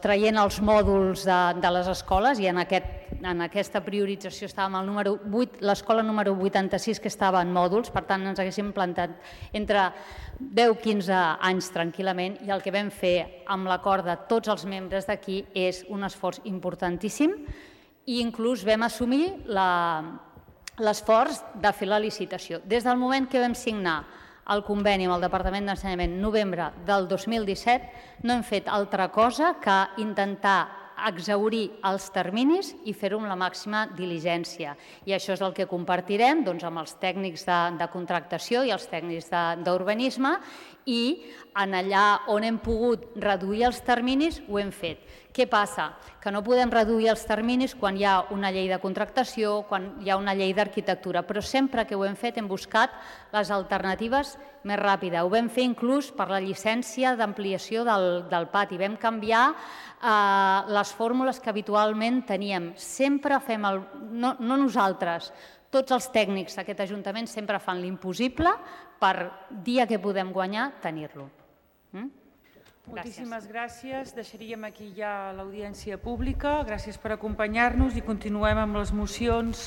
traient els mòduls de les escoles, i en aquesta priorització estàvem al número 8, l'escola número 86 que estava en mòduls, per tant ens haguéssim plantat entre 10 i 15 anys tranquil·lament, i el que vam fer amb l'acord de tots els membres d'aquí és un esforç importantíssim, i inclús vam assumir l'esforç de fer la licitació. Des del moment que vam signar el conveni amb el Departament d'Ensenyament novembre del 2017, no hem fet altra cosa que intentar exhaurir els terminis i fer-ho amb la màxima diligència. I això és el que compartirem amb els tècnics de contractació i els tècnics d'urbanisme, i en allà on hem pogut reduir els terminis ho hem fet. Què passa? Que no podem reduir els terminis quan hi ha una llei de contractació, quan hi ha una llei d'arquitectura, però sempre que ho hem fet hem buscat les alternatives més ràpides. Ho vam fer inclús per la llicència d'ampliació del pati. Vam canviar les fórmules que habitualment teníem. Sempre fem, no nosaltres, tots els tècnics d'aquest Ajuntament sempre fan l'impossible per dia que podem guanyar, tenir-lo. Moltíssimes gràcies. Deixaríem aquí ja l'audiència pública. Gràcies per acompanyar-nos i continuem amb les mocions